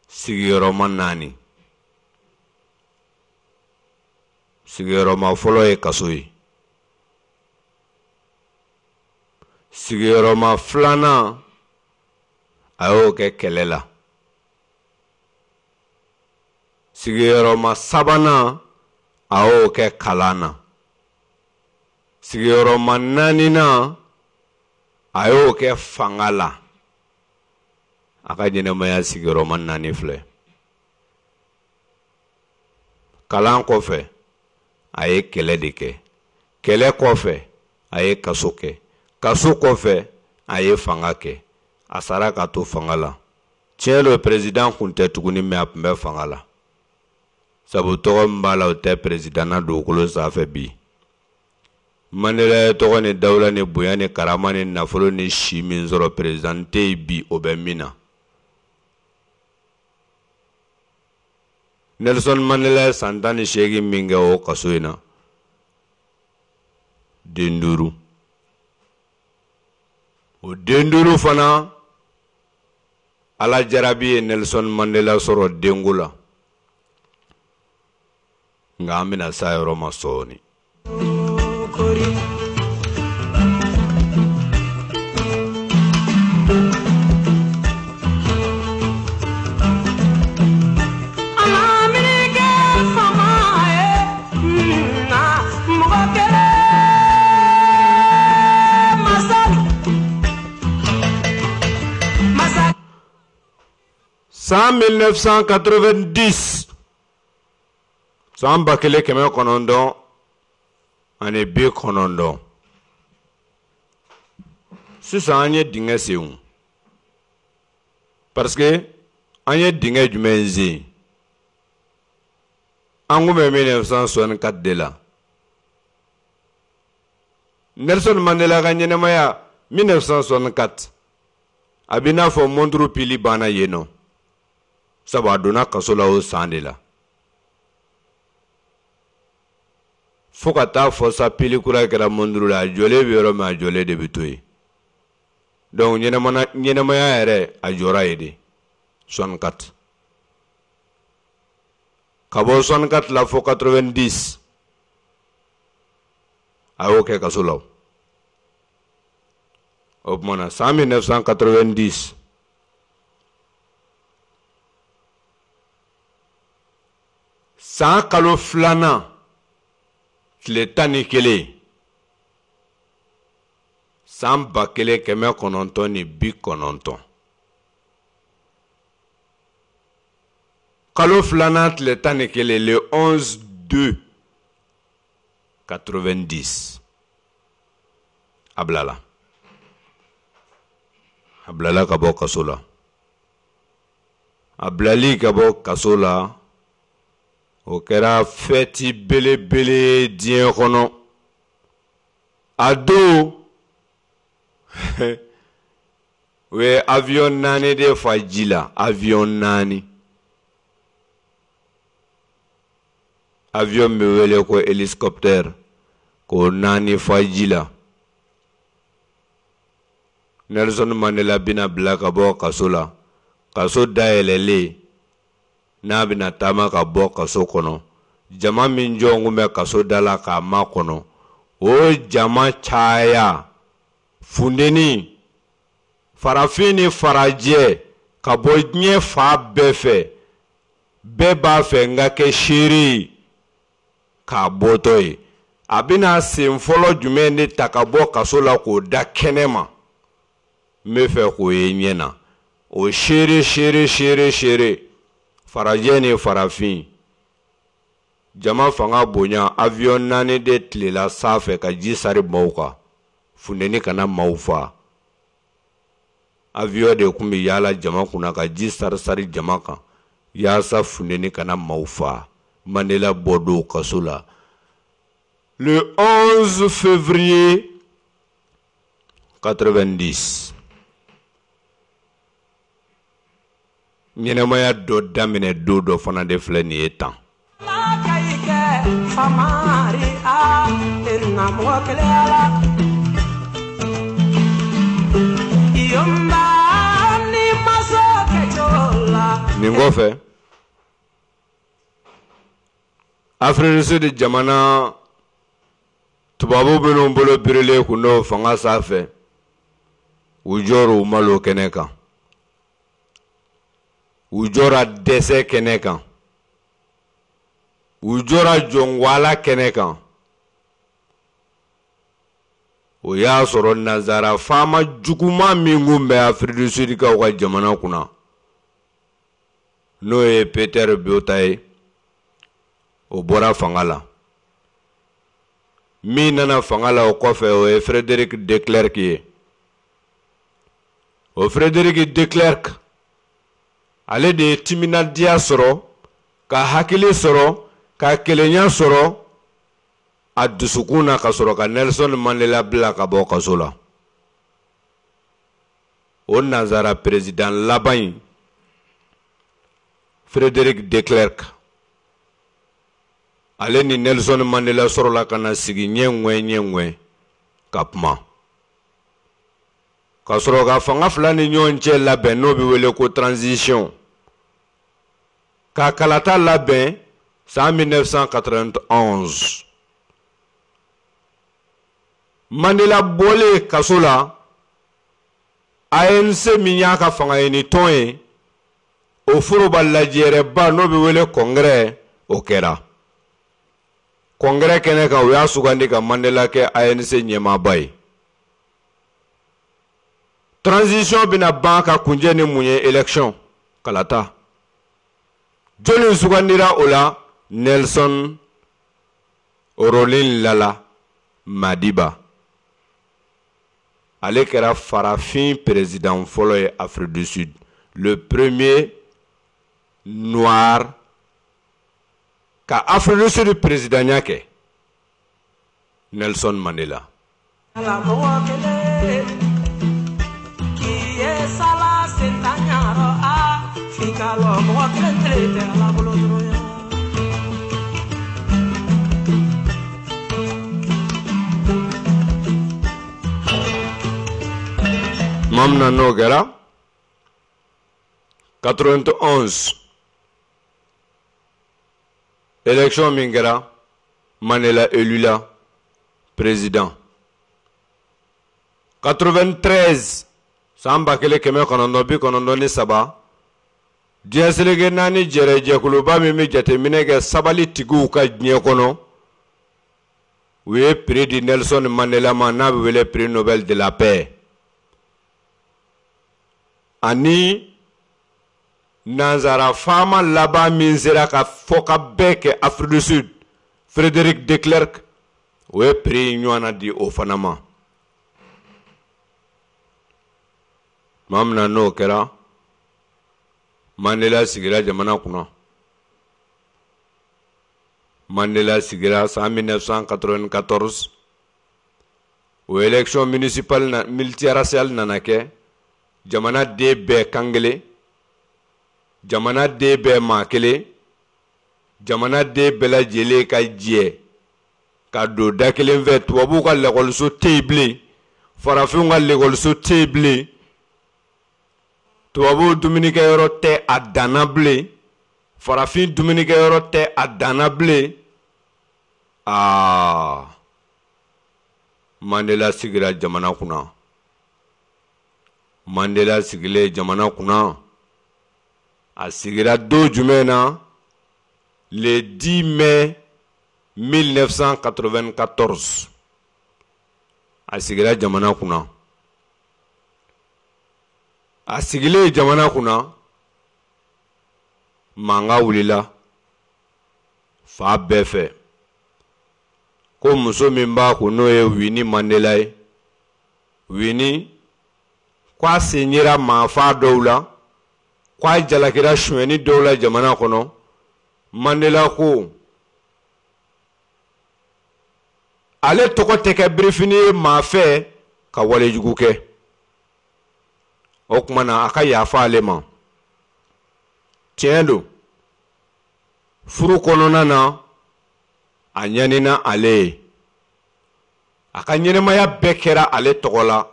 sigiyɔrɔma naani. Sigiyɔrɔma fɔlɔ ye kaso ye. Sigiyɔrɔma filanan, a y'o kɛ kɛlɛ la. Sigiyɔrɔma sabanan, a y'o kɛ kalan na. Sigiyɔrɔma naaninan, a y'o kɛ fanga la. A ka ɲɛnɛmaya sigiyɔrɔma naani filɛ. Kalan kɔfɛ, a ye kɛlɛ de kɛ. Kɛlɛ kɔfɛ, a ye kaso kɛ. Kaso kɔfɛ, a ye fanga kɛ. A sara ka to fanga la. Tiɲɛ don, président kun tɛ tuguni, mais a tun bɛ fanga la. Sabu tɔgɔ min b'a la, o tɛ président na dugukolo sanfɛ bi. Mandela ye tɔgɔ ni dawula ni bonya ni karama ni nafolo ni si min sɔrɔ, président tɛ yen bi o bɛ min na. Nelson Mandela ye san tan ni seegin min kɛ o kaso in na, den duuru. O den duuru fana, Ala jarabi ye Nelson Mandela sɔrɔ denko la. Nka an bɛna s'a yɔrɔ ma sɔɔni. San mille neuf cent quatre-vingt-dix, san ba kelen kɛmɛ kɔnɔntɔn ani bi kɔnɔntɔn. Sisan an ye dingɛ sen, parce que an ye dingɛ jumɛn sen? An kun bɛ mille neuf cent soixante-quatre de la. Nelson Mandela ka ɲɛnɛmaya mille neuf cent soixante-quatre, a b'i n'a fɔ montre pili banna yen nɔ. Sabu a donna kaso la o san de la. Fo ka taa fɔ sa pili kura kɛra montre la, a jɔlen bɛ yɔrɔ min, a jɔlen de bɛ to yen. Donc ɲɛnɛmaya yɛrɛ a jɔra yen de soixante-quatre. Ka bɔ soixante-quatre la fo quatre-vingt-dix, a y'o kɛ kaso la. O tuma na san mille neuf cent quatre-vingt-dix, san kalo filanan tile tan ni kelen, san ba kelen kɛmɛ kɔnɔntɔn ni bi kɔnɔntɔn. Kalo filanan tile tan ni kelen, le onze deux quatre-vingt-dix, a bilala. A bilala ka bɔ kaso la. A bilali ka bɔ kaso la, o kɛra fɛti belebele diɲɛ kɔnɔ. A don, u ye avion naani de fa ji la, avion naani. Avion bɛ wele ko hélicoptère, k'o naani fa ji la. Nelson Mandela bɛna bila ka bɔ kaso la. Kaso dayɛlɛlen, n'a bɛna taama ka bɔ kaso kɔnɔ, jama min jɔn kun bɛ kaso da la k'a makɔnɔ, o jama caya, funteni, farafin ni farajɛ ka bɔ diɲɛ fan bɛɛ fɛ, bɛɛ b'a fɛ n ka kɛ seere ye k'a bɔtɔ ye. A bɛna sen fɔlɔ jumɛn de ta ka bɔ kaso la k'o da kɛnɛ ma? N bɛ fɛ k'o ye ɲɛ na. O seere seere seere seere, farajɛ ni farafin, jama fanga bonya, avion naani de tilela sanfɛ ka ji sari maaw kan, funteni kana maaw fa. Avion de tun bɛ yaala jama kunna ka ji sari sari jama kan yaasa funteni kana maaw fa. Mandela bɔ don kaso la le onze février quatre-vingt-dix. Ɲɛnɛmaya dɔ daminɛ don dɔ fana de filɛ nin ye tan. Nin kɔfɛ, Afrique du Sud jamana tubabu minnu bolo birilen kun don fanga sanfɛ, u jɔra u malo kɛnɛ kan, u jɔra dɛsɛ kɛnɛ kan, u jɔra jɔnwala kɛnɛ kan. O y'a sɔrɔ nanzara faama juguman min kun bɛ Afrique du Sud kaw ka jamana kunna, n'o ye Peter Botha ye, o bɔra fanga la. Min nana fanga la o kɔfɛ, o ye Frédéric de Klerk ye. O Frédéric de Klerk, ale de ye timinadiya sɔrɔ, ka hakili sɔrɔ, ka kelenya sɔrɔ a dusukun na, ka sɔrɔ ka Nelson Mandela bila ka bɔ kaso la. O nanzara président laban in, Frédéric de Klerk, ale ni Nelson Mandela sɔrɔla ka na sigi ɲɛ ŋwɛ ɲɛ ŋwɛ ka kuma, ka sɔrɔ ka fanga fila ni ɲɔgɔn cɛ labɛn, n'o bɛ wele ko transition, ka kalata labɛn san mille neuf cent quatre-vingt-onze. Mandela bɔlen kaso la, A N C min y'a ka fanga ɲini tɔn ye, o foroba lajɛrɛba n'o bɛ wele congrès, o kɛra. Congrès kɛnɛ kan, u y'a sugandi ka Mandela kɛ A N C ɲɛmaaba ye. Transition bɛna ban ka kunjɛ ni mun ye? Élection, kalata. Jɔnni sugandira o la? Nelson Rolihlahla Madiba. Ale kɛra farafin président fɔlɔ ye Afrique du Sud, le premier noir ka Afrique du Sud présidentya kɛ, Nelson Mandela. Tuma min na n'o kɛra quatre-vingt-onze, élection min kɛra, Mandela élu la président. quatre-vingt-treize, san ba kelen kɛmɛ kɔnɔntɔn bi kɔnɔntɔn ni saba, diɲɛ seleke naani jɛrɛ jɛkuluba min bɛ jateminɛ kɛ sabali tigiw ka diɲɛ kɔnɔ, u ye prix di Nelson Mandela ma, n'a bɛ wele prix Nobel de la paix. Ani nanzara faama laban min sera ka fɔ ka bɛɛ kɛ Afrique du Sud, Frédéric de Klerk, o ye prix ɲɔgɔnna di o fana ma. Tuma min na n'o kɛra, Mandela sigira jamana kunna. Mandela sigira san mille neuf cent quatre-vingt-quatorze, o élection municipale na multiraciale nana kɛ, jamana den bɛɛ kan kelen, jamana den bɛɛ maa kelen, jamana den bɛɛ lajɛlen ka jɛ ka don da kelen fɛ. Tubabuw ka lakɔliso tɛ yen bilen, farafinw ka lakɔliso tɛ yen bilen, tubabuw dumunikɛyɔrɔ tɛ a danna bilen, farafin dumunikɛyɔrɔ tɛ a danna bilen. Aa, Mandela sigira jamana kunna. Mandela sigilen jamana kunna, a sigira don jumɛn na? Le dix mai mille neuf cent quatre-vingt-quatorze, a sigira jamana kunna. A sigilen jamana kunna, mankan wulila fa bɛɛ fɛ ko muso min b'a kun, n'o ye Winnie Mandela ye, Winnie ko a sen yera maafa dɔw la, ko a jalakira sonyɛni dɔw la jamana kɔnɔ. Mandela ko ale tɔgɔ tɛ kɛ birifini ye maa fɛ ka walejugu kɛ. O tuma na, a ka yafa ale ma. Tiɲɛ don, furu kɔnɔna na, a ɲanina ale ye, a ka ɲɛnɛmaya bɛɛ kɛra ale tɔgɔ la,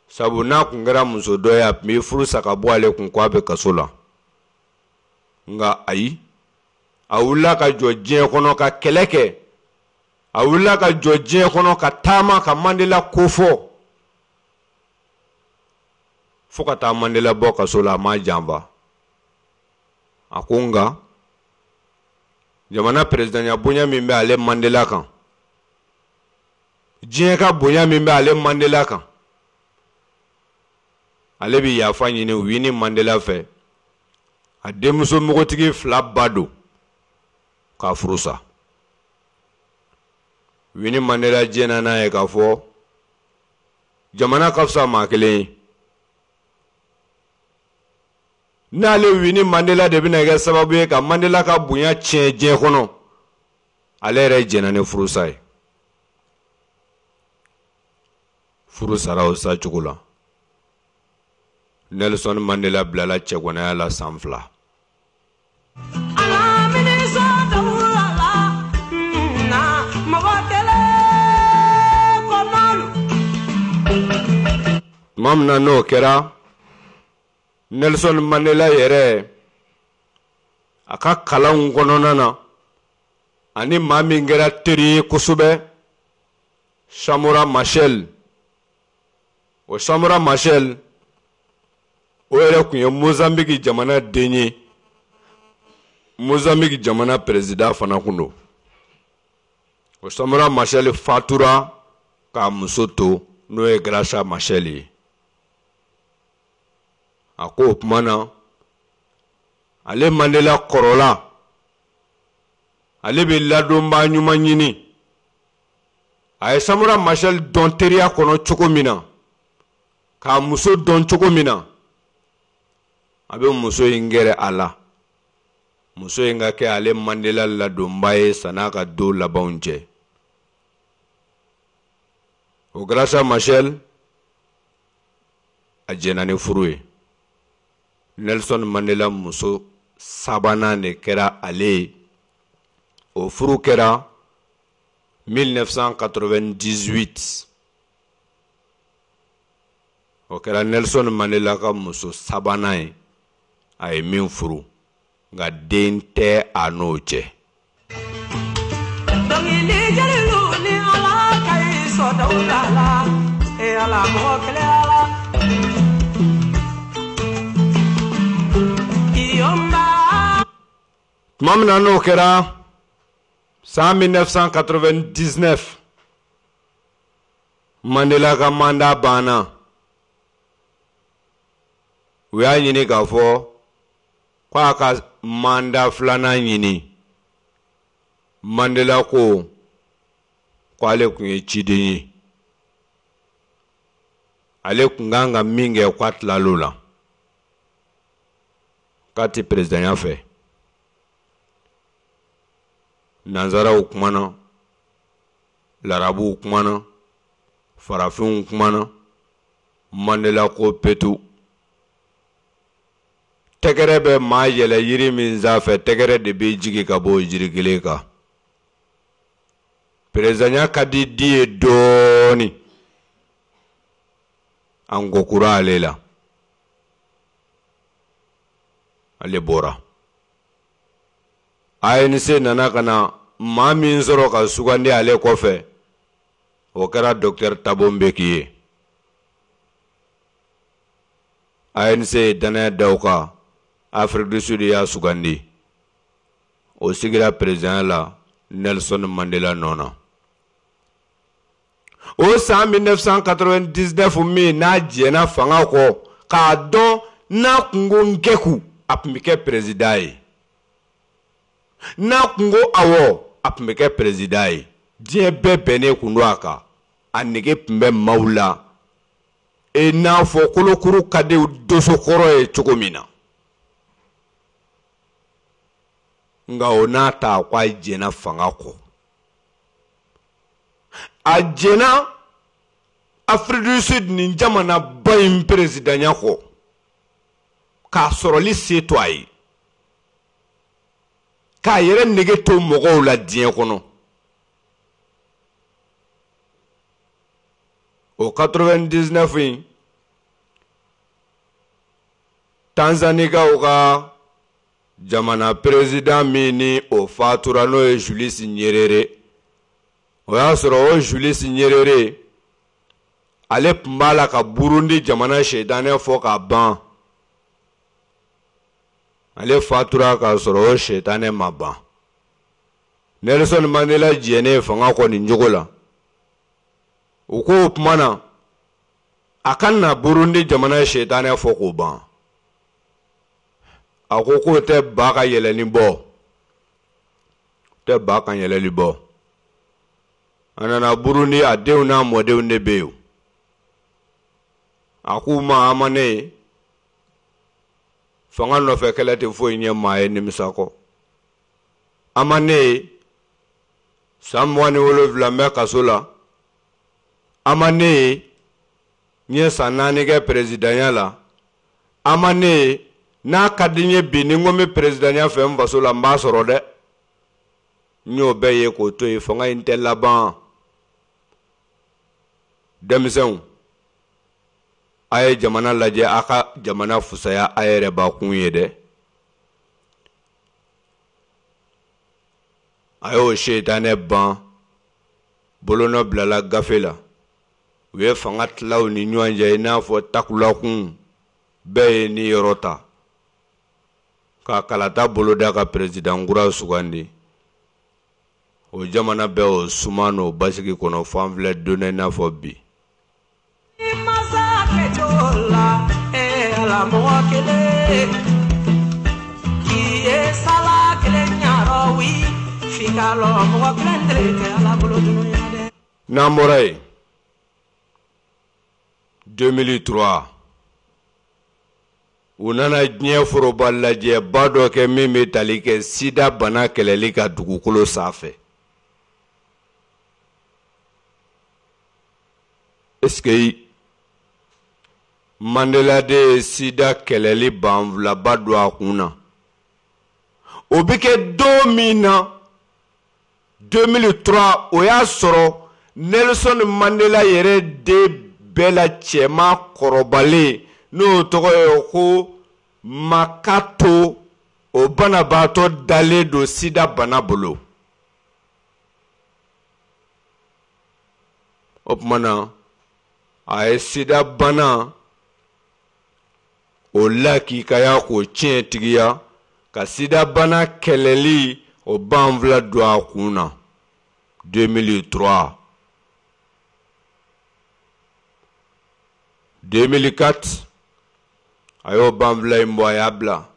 sabu n'a kun kɛra muso dɔ ye, a tun bɛ furu sa ka bɔ ale kun ko a bɛ kaso la. Nka ayi, a wulila ka jɔ diɲɛ kɔnɔ ka kɛlɛ kɛ, a wulila ka jɔ diɲɛ kɔnɔ ka taama ka Mandela kofɔ fo ka taa Mandela bɔ kaso la. A ma janfa. A ko nka jamana perezidanya bonya min bɛ ale Mandela kan, diɲɛ ka bonya min bɛ ale Mandela kan, ale bɛ yafa ɲini Winnie Mandela fɛ, a denmuso npogotigi fila ba don, k'a furu sa. Winnie Mandela jɛnna n'a ye k'a fɔ jamana ka fisa maa kelen ye. N'ale Winnie Mandela de bɛna kɛ sababu ye ka Mandela ka bonya tiɲɛ diɲɛ kɔnɔ, ale yɛrɛ jɛnna ni furusa ye. Furu sara o sa cogo la. Nelson Mandela bilala cɛgwanaya la san fila. Tuma min na n'o kɛra, Nelson Mandela yɛrɛ, a ka kalanw kɔnɔna na, ani maa min kɛra teri ye kosɛbɛ, Samora Machel. O Samora Machel, o yɛrɛ tun ye Mozambique jamana den ye, Mozambique jamana président fana kun don. O Samora Machel fatura k'a muso to, n'o ye Graça Machel ye. A ko o tuma na, ale Mandela kɔrɔla, ale bɛ ladonbaa ɲuman ɲini. A ye Samora Machel dɔn teriya kɔnɔ cogo min na, k'a muso dɔn cogo min na, a bɛ muso in gɛrɛ a la, muso in ka kɛ ale Mandela ladonbaa ye san'a ka don labanw cɛ. O Graça Machel, a jɛnna ni furu ye. Nelson Mandela muso sabanan de kɛra ale ye. O furu kɛra mille neuf cent quatre-vingt-dix-huit. O kɛra Nelson Mandela ka muso sabanan ye a ye min furu, nka den tɛ a n'o cɛ. Dɔnkili jeliw ni Ala ka i sɔdaw la la, e Ala mɔgɔ kelen Ala. Iyɔnba. Tuma min na n'o kɛra, san mille neuf cent quatre-vingt-dix-neuf, Mandela ka mandat banna. U y'a ɲini k'a fɔ k'a ka mandat filanan ɲini. Mandela ko k'ale tun ye ciden ye, ale tun kan ka min kɛ, k'a tilal'o la, k'a tɛ perezidanya fɛ. Nanzaraw kumana, larabuw kumana, farafinw kumana. Mandela ko petu, tɛgɛrɛ bɛ maa yɛlɛ yiri min sanfɛ, tɛgɛrɛ de bɛ jigin ka bɔ o jiri kelen kan. Perezidanya ka di di ye dɔɔni, an ko kura ale la, ale bɔra. A N C nana ka na maa min sɔrɔ ka sugandi ale kɔfɛ, o kɛra Docteur Thabo Mbeki ye. A N C ye danaya da o kan, Afrique du Sud y'a sugandi, o sigira perezidanya la Nelson Mandela nɔ na. O san mille neuf cent quatre-vingt-dix-neuf min n'a jɛnna fanga kɔ, k'a dɔn n'a kun ko Nkeku, a tun bɛ kɛ président ye. N'a kun ko awɔ, a tun bɛ kɛ président ye. Diɲɛ bɛɛ bɛnnen kun don a kan. A nege tun bɛ maaw la. E n'a fɔ kolokuru ka di dosokɔrɔ ye cogo min na. Nka o n'a ta ko a jɛnna fanga kɔ. A jɛnna Afrique du Sud nin jamanaba in présidentya kɔ. K'a sɔrɔli se to a ye. K'a yɛrɛ nege to mɔgɔw la diɲɛ kɔnɔ. O quatre-vingt-dix-neuf in, Tanzanikaw ka jamana président min ni o fatura n'o ye Julius Nyerere. O y'a sɔrɔ o Julius Nyerere ale tun b'a la ka Burundi jamana setanɛ fɔ ka ban. Ale fatura k'a sɔrɔ o setanɛ ma ban. Nelson Mandela jɛnnen fanga kɔ nin cogo la. U ko o tuma na a ka na Burundi jamana setanɛ fɔ k'o ban. A ko k'o tɛ ba ka yɛlɛli bɔ. Tɛ ba ka yɛlɛli bɔ. A nana Burundi, a denw n'a mɔdenw de bɛ yen. A k'u ma a ma ne ye. Fanga nɔfɛ kɛlɛ tɛ foyi ɲɛ maa ye nimisa kɔ. A ma ne ye. San mugan ni wolonwula n bɛ kaso la. A ma ne ye. N ye san naani kɛ perezidanya la. A ma ne ye. N'a ka di n ye bi ni n ko n bɛ perezidanya fɛ n faso la, n b'a sɔrɔ dɛ. N y'o bɛɛ ye k'o to yen, fanga in tɛ laban. Denmisɛnw, a ye jamana lajɛ, a ka jamana fusaya a yɛrɛ bakun ye dɛ. A y'o setanɛ ban, bolonɔ bilala gafe la. U ye fanga tila u ni ɲɔgɔn cɛ i n'a fɔ takulakun, bɛɛ ye ni yɔrɔ ta. Ka kalata boloda ka président kura sugandi. O jamana bɛɛ o suma n'o basigi kɔnɔ fan filɛ don i n'a fɔ bi. N'an bɔra yen, deux mille trois, u nana diɲɛ foroba lajɛba dɔ kɛ min bɛ tali kɛ sida bana kɛlɛli ka dugukolo sanfɛ. Est-ce que Mandela de ye sida kɛlɛli banfulaba don a kun na? O bɛ kɛ don min na deux mille trois, o y'a sɔrɔ Nelson Mandela yɛrɛ den bɛɛ la cɛman kɔrɔbalen n'o tɔgɔ ye ko Makato, o banabaatɔ dalen don sida bana bolo. O tuma na a ye sida bana o lakikaya k'o tiɲɛtigiya ka sida bana kɛlɛli o banfula don a kun na deux mille trois. deux mille quatre, a y'o banfula in bɔ, a y'a bila.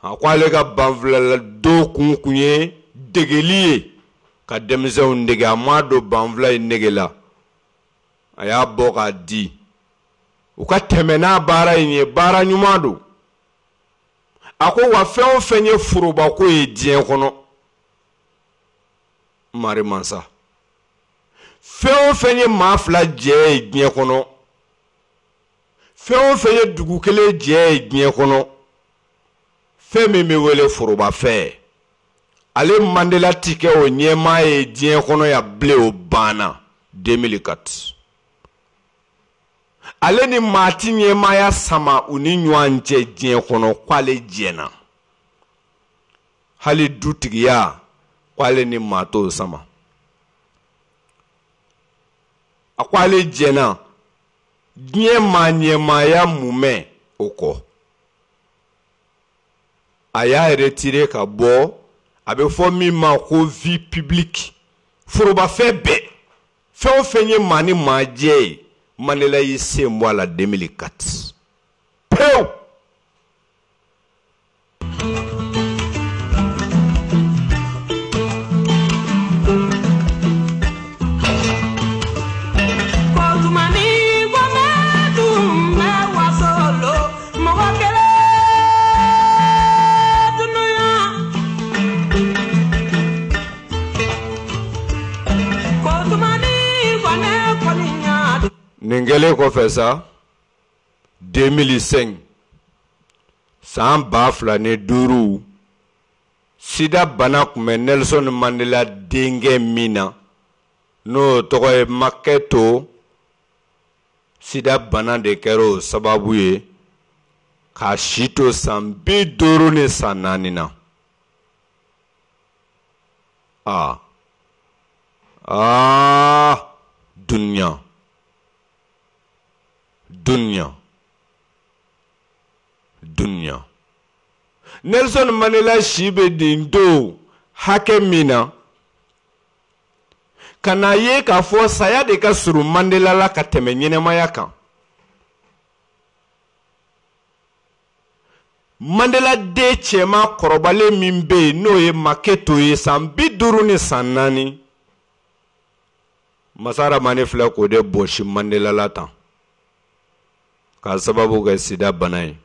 A ko ale ka banfula la don kun kun ye degeli ye ka denmisɛnw dege. A m'a don banfula in nege la, a y'a bɔ k'a di u ka tɛmɛ n'a baara in ye, baara ɲuman don. A ko wa fɛn o fɛn ye forobako ye diɲɛ kɔnɔ, Mari Mansa, fɛn o fɛn ye maa fila jɛ ye diɲɛ kɔnɔ, fɛn o fɛn ye dugu kelen jɛ ye diɲɛ kɔnɔ, fɛn min bɛ wele forobafɛn, ale Mandela ti kɛ o ɲɛmaa ye diɲɛ kɔnɔ yan bilen, o banna deux mille quatre. Ale ni maa ti ɲɛmaaya sama u ni ɲɔgɔn cɛ diɲɛ kɔnɔ, k'ale jɛnna. Hali dutigiya, k'ale ni maa t'o sama. A ko ale jɛnna diɲɛ maa ɲɛmaaya mumɛ o kɔ. A y'a retiré ka bɔ, a bɛ fɔ min ma ko vie publique, forobafɛn bɛɛ, Fɛn o fɛn ye maa ni maa jɛ ye, Mandela y'i sen bɔ a la deux mille quatre pewu. Nin kɛlen kɔfɛ sa, deux mille cinq, san ba fila ni duuru, sida bana tun bɛ Nelson Mandela denkɛ min na, n'o tɔgɔ ye Maketo, sida bana de kɛra o sababu ye k'a si to san bi duuru ni san naani na. Aa aa dunuya dunuya dunuya. Nelson Mandela si bɛ nin don hakɛ min na, ka n'a ye k'a fɔ saya de ka surun Mandela la ka tɛmɛ ɲɛnɛmaya kan. Mandela den cɛman kɔrɔbalen min bɛ yen n'o ye Maketo ye san bi duuru ni san naani, Masa Ramani filɛ k'o de bɔsi Mandela la tan k'a sababu kɛ sida bana ye.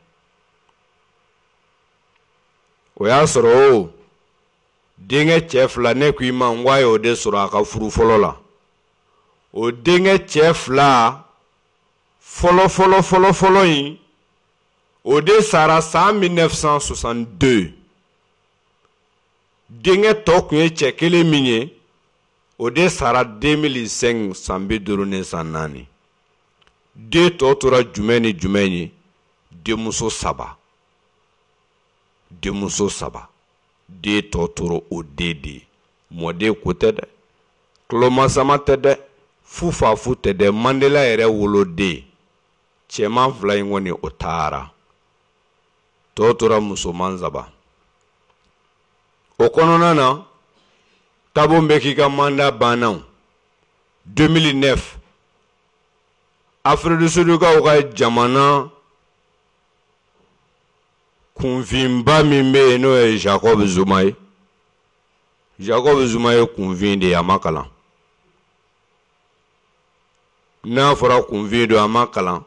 O y'a sɔrɔ o denkɛ cɛ fila, ne ko i ma n ko a y'o de sɔrɔ a ka furu fɔlɔ la. O denkɛ cɛ fila fɔlɔ fɔlɔ fɔlɔ fɔlɔ in, o de sara san mille neuf cent soixante-deux. Denkɛ tɔ tun ye cɛ kelen min ye, o de sara deux mille cinq, san bi duuru ni san naani. Den tɔ tora jumɛn ni jumɛn ye? Denmuso saba. Denmuso saba. Den tɔ tora o den de ye. Mɔden ko tɛ dɛ, tulomasama tɛ dɛ, fufafu tɛ dɛ, Mandela yɛrɛ woloden. Cɛman fila in kɔni o taara, tɔ tora musoman saba. O kɔnɔna na, Thabo Mbeki ka mandat banna deux mille neuf. Afrique du Sud kaw ka jamana kunfinba min bɛ yen n'o ye Jacob Zuma ye. Jacob Zuma ye kunfin de ye, a ma kalan. N'a fɔra kunfin don, a ma kalan.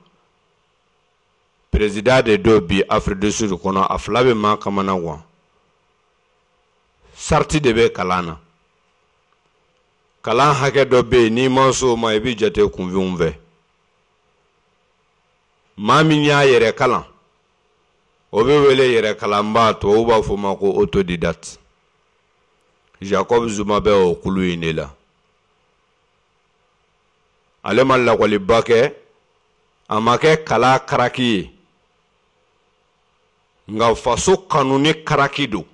Président de don bi Afrique du Sud kɔnɔ, a fila bɛ maa kamana gan. Sarati de bɛ kalan na. Kalan hakɛ dɔ bɛ yen, n'i ma s'o ma, i bɛ jate kunfinw fɛ. Maa min y'a yɛrɛ kalan, o bɛ wele yɛrɛ kalanbaa, tubabuw b'a fɔ o ma ko autodidacte. Jacob Zuma bɛ o kulu in de la. Ale ma lakɔliba kɛ, a ma kɛ kala karaki ye, nka faso kanu ni karaki don.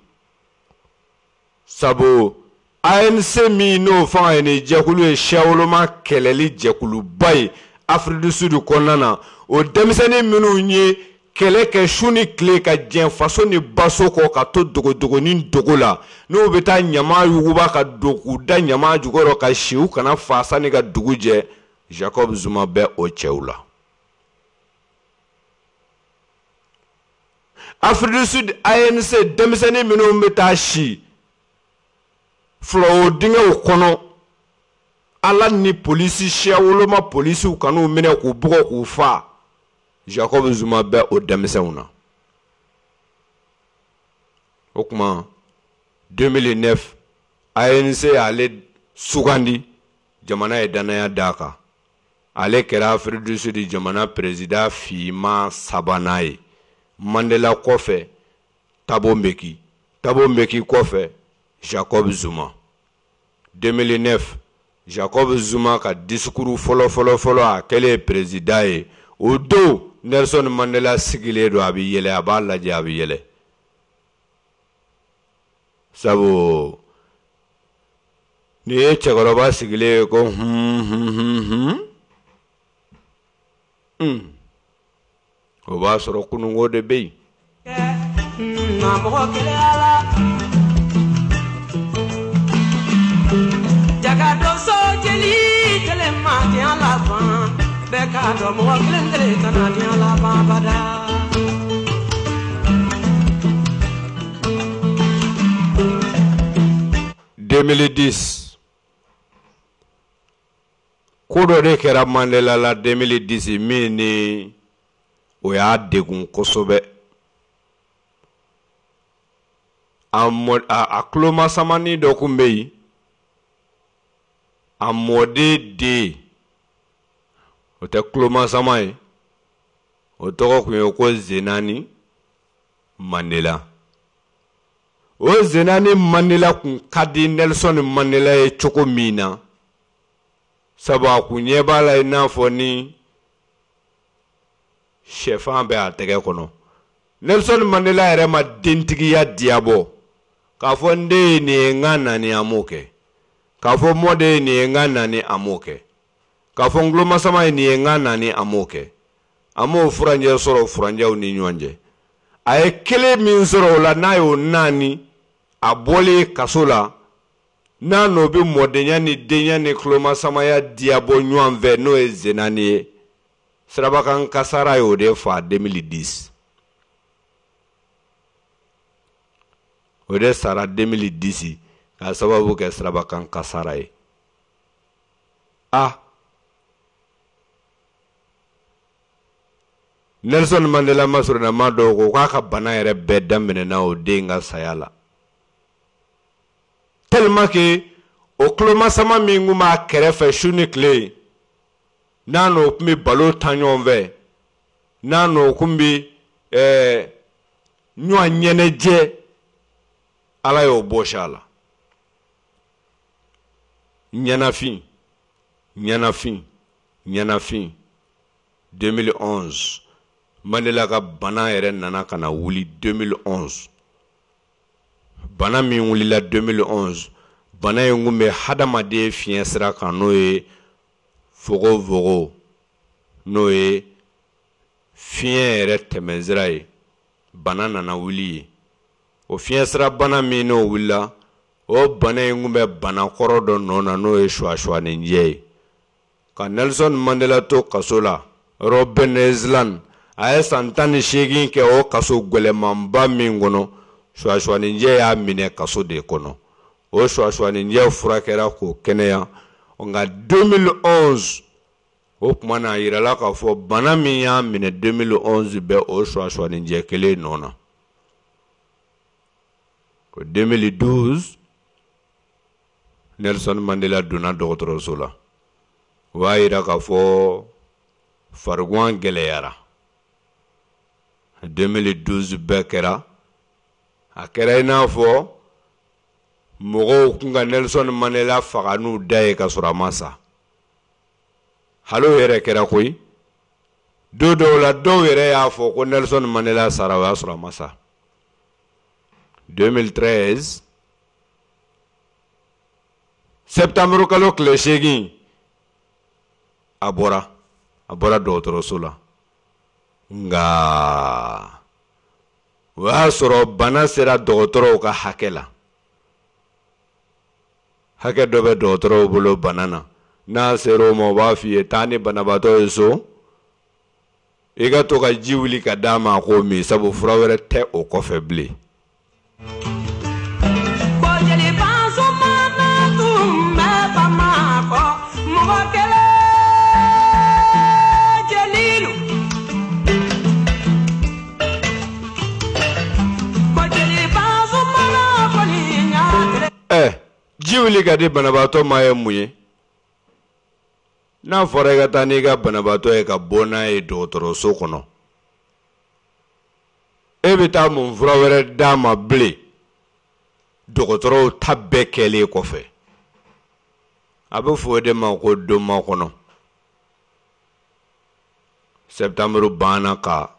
Sabu A N C min n'o fanga ye ni jɛkulu ye, siyawoloma kɛlɛli jɛkuluba ye Afrique du Sud kɔnɔna na, o denmisɛnnin minnu ye kɛlɛ kɛ su ni tile ka jɛn faso ni baso kɔ ka to dogodogonin dogo la, n'u bɛ taa ɲama yuguba ka don k'u da ɲama jukɔrɔ ka si u kana fa sanni ka dugu jɛ, Jacob Zuma bɛ o cɛw la. Afrique du Sud A N C denmisɛnnin minnu bɛ taa si fulawo dingɛw kɔnɔ, Ala ni polisi siyawoloma polisiw kan'u minɛ k'u bugɔ k'u fa, Jacob Zuma bɛ o denmisɛnw na. O tuma deux mille neuf, A N C y'ale sugandi, jamana ye danaya d'a kan. Ale kɛra Afrique du Sud jamana président finman sabanan ye. Mandela kɔfɛ, Thabo Mbeki, Thabo Mbeki kɔfɛ, Jacob Zuma. deux mille neuf, Jacob Zuma ka discours fɔlɔ fɔlɔ fɔlɔ a kɛlen président ye, o don Nelson Mandela sigilen don, a bɛ yɛlɛ, a b'a lajɛ, a bɛ yɛlɛ. Sabu n'i ye cɛkɔrɔba sigilen ye ko hun hun hun hun hun, o b'a sɔrɔ kununko de bɛ yen. laban bɛɛ k'a dɔn mɔgɔ kelen kelen kana diɲɛ laban bada. deux mille dix ko dɔ de kɛra Mandela la deux mille dix min ni o y'a degun kosɛbɛ. A mɔ a, a kulomasamani dɔ kun bɛ yen, a mɔden den, o tɛ kulomasama ye, o tɔgɔ kun ye ko Zenani Mandela. O Zenani Mandela kun ka di Nelson Mandela ye cogo min na, sabu a kun ɲɛ b'a la i n'a fɔ ni sɛfan bɛ a tɛgɛ kɔnɔ. Nelson Mandela yɛrɛ ma dentigiya diyabɔ k'a fɔ n den ye nin ye n ka na ni a m'o kɛ, k'a fɔ mɔden ye nin ye n ka na ni a m'o kɛ, k'a fɔ n kulomasama ye nin ye n ka na ni a m'o kɛ. A m'o furanjɛ sɔrɔ furanjɛw ni ɲɔgɔn cɛ. A ye kelen min sɔrɔ o la n'a y'o naani, a bɔlen kaso la, n'a n'o bɛ mɔdenya ni denya ni kulomasamaya diyabɔ ɲɔgɔn fɛ, n'o ye Zenani ye, sirabakan kasara y'o de fa deux mille dix. O de sara deux mille dix k'a sababu kɛ sirabakan kasara ye. A Nelson Mandela masurunama dɔw ko k'a ka bana yɛrɛ bɛɛ daminɛna o den ka saya la. Tellement que o kulomasama min kun b'a kɛrɛfɛ su ni tile, n'a n'o kun bɛ balo ta ɲɔgɔn fɛ, n'a n'o kun bɛ ɛɛ ɲɔgɔn ɲɛnajɛ, Ala y'o bɔsi a la. Ɲɛnafin, ɲɛnafin, ɲɛnafin. deux mille onze Mandela ka bana yɛrɛ nana ka na wuli deux mille onze. Bana min wulila deux mille onze, bana in kun bɛ hadamaden fiɲɛ sira kan, n'o ye fogofogo, n'o ye fiɲɛ yɛrɛ tɛmɛsira ye. Bana nana wuli yen. O fiɲɛ sira bana min n'o wulila, o bana in kun bɛ bana kɔrɔ dɔ nɔ na, n'o ye suwasuwaninjɛ ye. Ka Nelson Mandela to kaso la Robben Island, a ye san tan ni seegin kɛ o kaso gwɛlɛmanba min kɔnɔ, suwasuwaninjɛ y'a minɛ kaso de kɔnɔ. O suwasuwaninjɛ furakɛra k'o kɛnɛya. Nka deux mille onze, o tuma na a yirala k'a fɔ bana min y'a minɛ deux mille onze bɛ o suwasuwaninjɛ kelen nɔ na. O deux mille douze, Nelson Mandela donna dɔgɔtɔrɔso la. O b'a yira k'a fɔ fariguan gɛlɛyara. deux mille douze bɛɛ kɛra, a kɛra i n'a fɔ mɔgɔw kun ka Nelson Mandela faga n'u da ye ka sɔrɔ a ma sa. Hali o yɛrɛ kɛra koyi. Don dɔw la dɔw yɛrɛ y'a fɔ ko Nelson Mandela sara, o y'a sɔrɔ a ma sa. deux mille treize septembre kalo tile seegin, a bɔra a bɔra dɔgɔtɔrɔso la. Nka o y'a sɔrɔ bana sera dɔgɔtɔrɔw ka hakɛ la. Hakɛ dɔ bɛ dɔgɔtɔrɔw bolo bana na, n'a sera o ma o b'a f'i ye taa ni banabaatɔ ye so, i ka to ka ji wuli ka d'a ma a k'o min, sabu fura wɛrɛ tɛ o kɔfɛ bilen. Ɛ ji wuli ka di banabaatɔ ma ye mun ye? N'a fɔra i ka taa n'i ka banabaatɔ ye ka bɔ n'a ye dɔgɔtɔrɔso kɔnɔ, e bɛ taa mun fura wɛrɛ d'a ma bilen dɔgɔtɔrɔw ta bɛɛ kɛlen kɔfɛ? A bɛ fɔ o de ma ko donmakɔnɔ. Septembre banna ka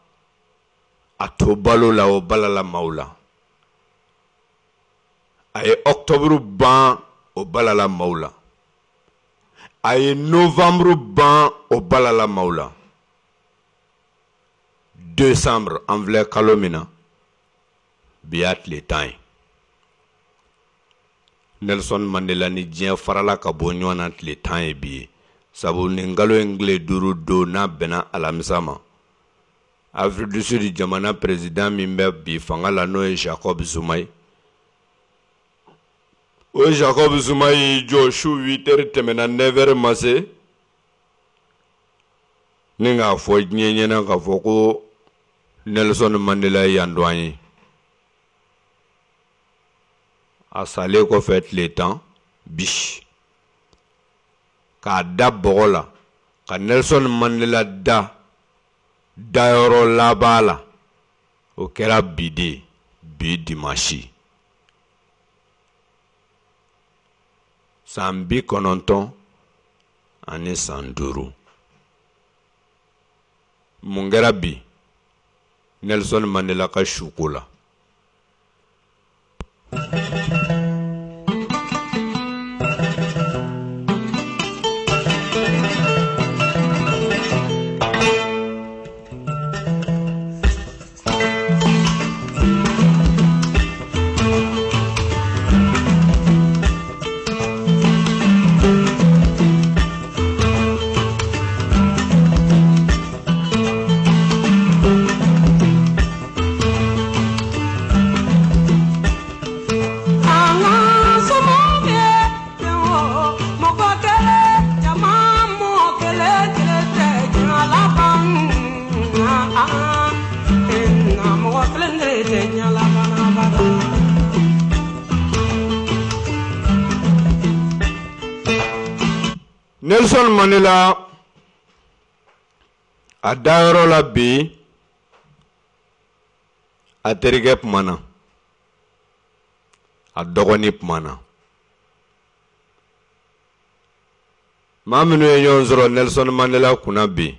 a to balo la, o balala maaw la. A ye octobre ban, o balala maaw la. A ye novembre ban, o balala maaw la. Décembre, an filɛ kalo min na, bi y'a tile tan ye. Nelson Mandela ni diɲɛ farala ka bɔ ɲɔgɔn na tile tan ye bi ye. Sabu nin kalo in tile duuru don n'a bɛnna alamisa ma, Afrique du Sud jamana président min bɛ bi fanga la n'o ye Jacob Zuma ye, o Jacob Zuma y'i jɔ su huit heures tɛmɛna neuf heures ma se ni k'a fɔ diɲɛ ɲɛna k'a fɔ ko Nelson Mandela ye yan dɔn an ye. A salen kɔfɛ tile tan bi k'a da bɔgɔ la ka Nelson Mandela da dayɔrɔ laban la, o kɛra bi de, bi dimanche san bi kɔnɔntɔn ani san duuru. Mun kɛra bi Nelson Mandela ka suko la? Nelson Mandela a dayɔrɔ la bi, a terikɛ kumana, a dɔgɔnin kumana. Maa minnu ye ɲɔgɔn sɔrɔ Nelson Mandela kunna bi,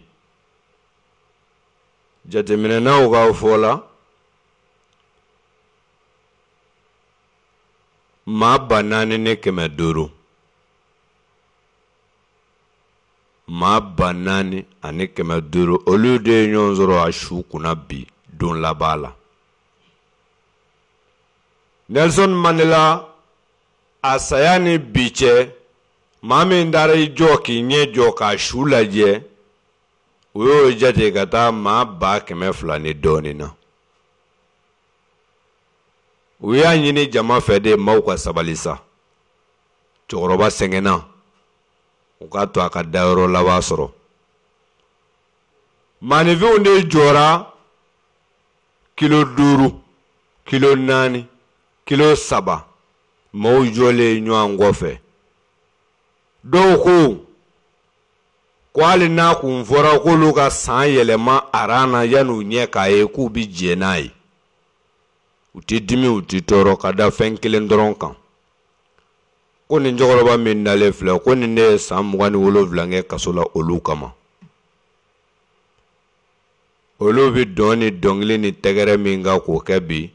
jateminɛnaw ka fɔ la, maa ba naani ni kɛmɛ duuru, maa ba naani ani kɛmɛ duuru, olu de ye ɲɔgɔn sɔrɔ a su kunna bi don laban la. Nelson Mandela a saya ni bi cɛ, maa min taara i jɔ k'i ɲɛ jɔ k'a su lajɛ, o y'o jate ka taa maa ba kɛmɛ fila ni dɔɔnin na. U y'a ɲini jama fɛ de maaw ka sabali sa, cɛkɔrɔba sɛgɛnna, u k'a to a ka dayɔrɔ laban sɔrɔ. Maaninfinw de jɔra kilo duuru, kilo naani, kilo saba, maaw jɔlen ɲɔgɔn kɔfɛ. Dɔw ko ko hali n'a kun fɔra k'olu ka san yɛlɛma aran na yan'u ɲɛ k'a ye k'u bi jɛ n'a ye, u tɛ dimi, u tɛ tɔɔrɔ, ka da fɛn kelen dɔrɔn kan. Ko nin cɛkɔrɔba min dalen filɛ, ko nin de ye san mugan ni wolonwula kɛ kaso la olu kama. Olu bɛ dɔn ni dɔnkili ni tɛgɛrɛ min kan k'o kɛ bi,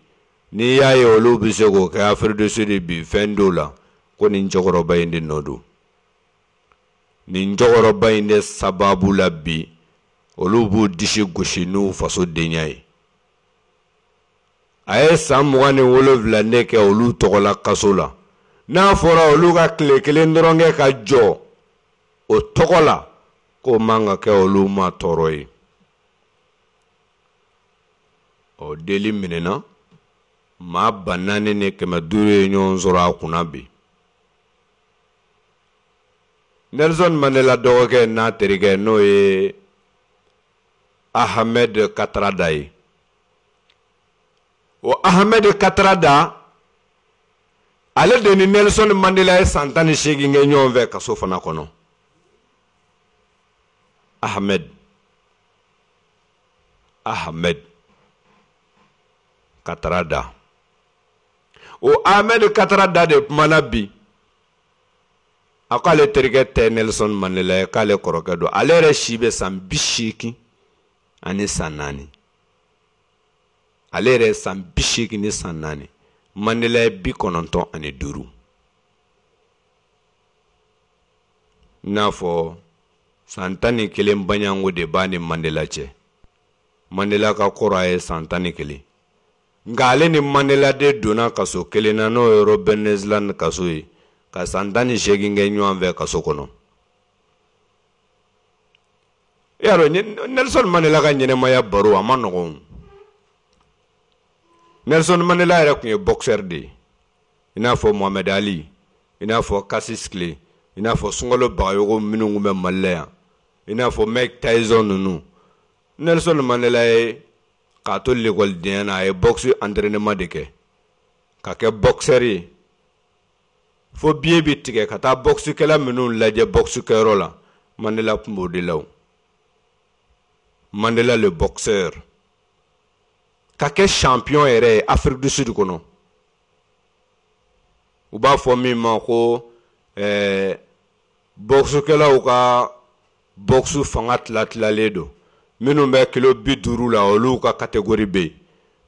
n'i y'a ye olu bɛ se k'o kɛ Afrique du Sud bi fɛn dɔw la, ko nin cɛkɔrɔba in de nɔ don. Nin cɛkɔrɔba in de sababu la bi, olu b'u disi gosi n'u faso denya ye. A ye san mugan ni wolonwula ne kɛ olu tɔgɔ la kaso la. N'a fɔra olu ka tile kelen dɔrɔn kɛ ka jɔ o tɔgɔ la, k'o man ka kɛ olu ma tɔɔrɔ ye. Ɔ deli minɛna, maa ba naani ni kɛmɛ duuru ye ɲɔgɔn sɔrɔ a kunna bi. Nelson Mandela dɔgɔkɛ n'a terikɛ n'o ye Ahmed Katarada ye. O Ahmed Katarada, ale de ni Nelson Mandela ye san tan ni seegin kɛ ɲɔgɔn fɛ kaso fana kɔnɔ. Ahmed Ahmed Katarada, o Ahmed Katarada de kumana bi. A k'ale terikɛ tɛ Nelson Mandela ye, k'ale kɔrɔkɛ don. Ale yɛrɛ si bɛ san bi seegin ani san naani. Ale yɛrɛ san bi seegin ni san naani. Mandela ye bi kɔnɔntɔn ani duuru. I n'a fɔ san tan ni kelen baɲango de b'a ni Mandela cɛ. Mandela ka kɔrɔ a ye san tan ni kelen. Nka ale ni Mandela de donna kaso kelen na, n'o ye Robben Island kaso ye, ka san tan ni seegin kɛ ɲɔgɔn fɛ kaso kɔnɔ. E y'a dɔn Nelson Mandela ka ɲɛnɛmaya baro a ma nɔgɔn. Nelson Mandela yɛrɛ tun ye boxeur de ye, i n'a fɔ Mohamed Ali, i n'a fɔ Cassius Clay, i n'a fɔ Sunkalo Bagayogo minnu tun bɛ Mali la yan, i n'a fɔ Mike Tyson ninnu. Nelson Mandela ye k'a to lekɔlidenya na, a ye boxe entraînement de kɛ ka kɛ boxeur ye fo biye bi tigɛ ka taa boxekɛla minnu lajɛ boxe kɛyɔrɔ la. Mandela tun b'o de la o. Mandela le boxeur ka kɛ champion yɛrɛ ye Afrique du Sud kɔnɔ. U b'a fɔ min ma ko ɛɛ boxekɛlaw ka boxe fanga tila tilalen don. Minnu bɛ kilo bi duuru la, olu ka catégorie bɛ yen.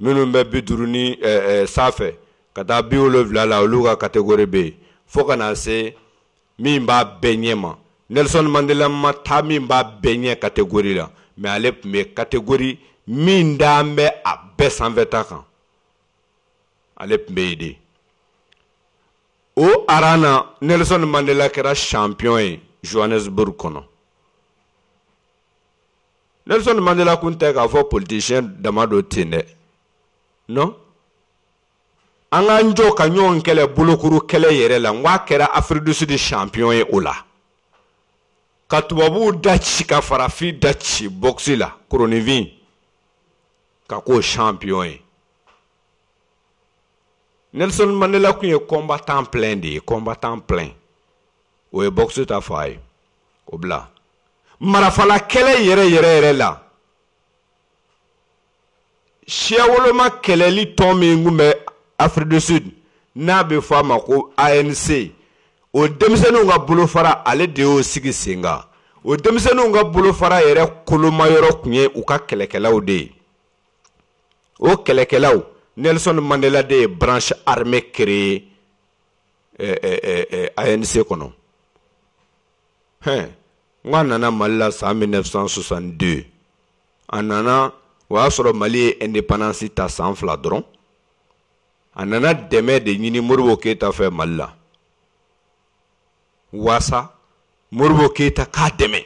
Minnu bɛ bi duuru ni ɛɛ sanfɛ ka taa bi wolonwula la, olu ka catégorie bɛ yen, fo ka na se min b'a bɛɛ ɲɛ ma. Nelson Mandela ma taa min b'a bɛɛ ɲɛ catégorie la, mais ale tun bɛ catégorie min d'an bɛ a bɛɛ sanfɛta kan, ale tun bɛ yen de. O aran na, Nelson Mandela kɛra champion ye Johannesburg kɔnɔ. Nelson Mandela kun tɛ k'a fɔ politicien dama don ten dɛ, non. An k'an jɔ ka ɲɔgɔn kɛlɛ bolokuru kɛlɛ yɛrɛ la, n k'a kɛra Afrique du Sud champion ye o la, ka tubabuw da ci ka farafin da ci boxe la koronifin, ka k'o champion ye. Nelson Mandela kun ye combattant plein de ye, combattant plein. O ye boxe ta fa ye, o bila marafala kɛlɛ yɛrɛ yɛrɛ yɛrɛ la. Siyawoloma kɛlɛli tɔn min kun bɛ Afrique du Sud n'a bɛ fɔ a ma ko A N C, o denmisɛnninw ka bolofara, ale de y'o sigi sen kan. O denmisɛnninw ka bolofara yɛrɛ kolomayɔrɔ tun ye u ka kɛlɛkɛlaw de ye. O kɛlɛkɛlaw, Nelson Mandela de ye branche armée créée eh, eh, eh, A N C kɔnɔ. Hɛn, n ko a nana Mali la san mille neuf cent soixante-deux. A nana, o y'a sɔrɔ Mali ye indépendance ta san fila dɔrɔn. A nana dɛmɛ de ɲini Modibo Keyita fɛ Mali la, waasa Modibo Keyita k'a dɛmɛ,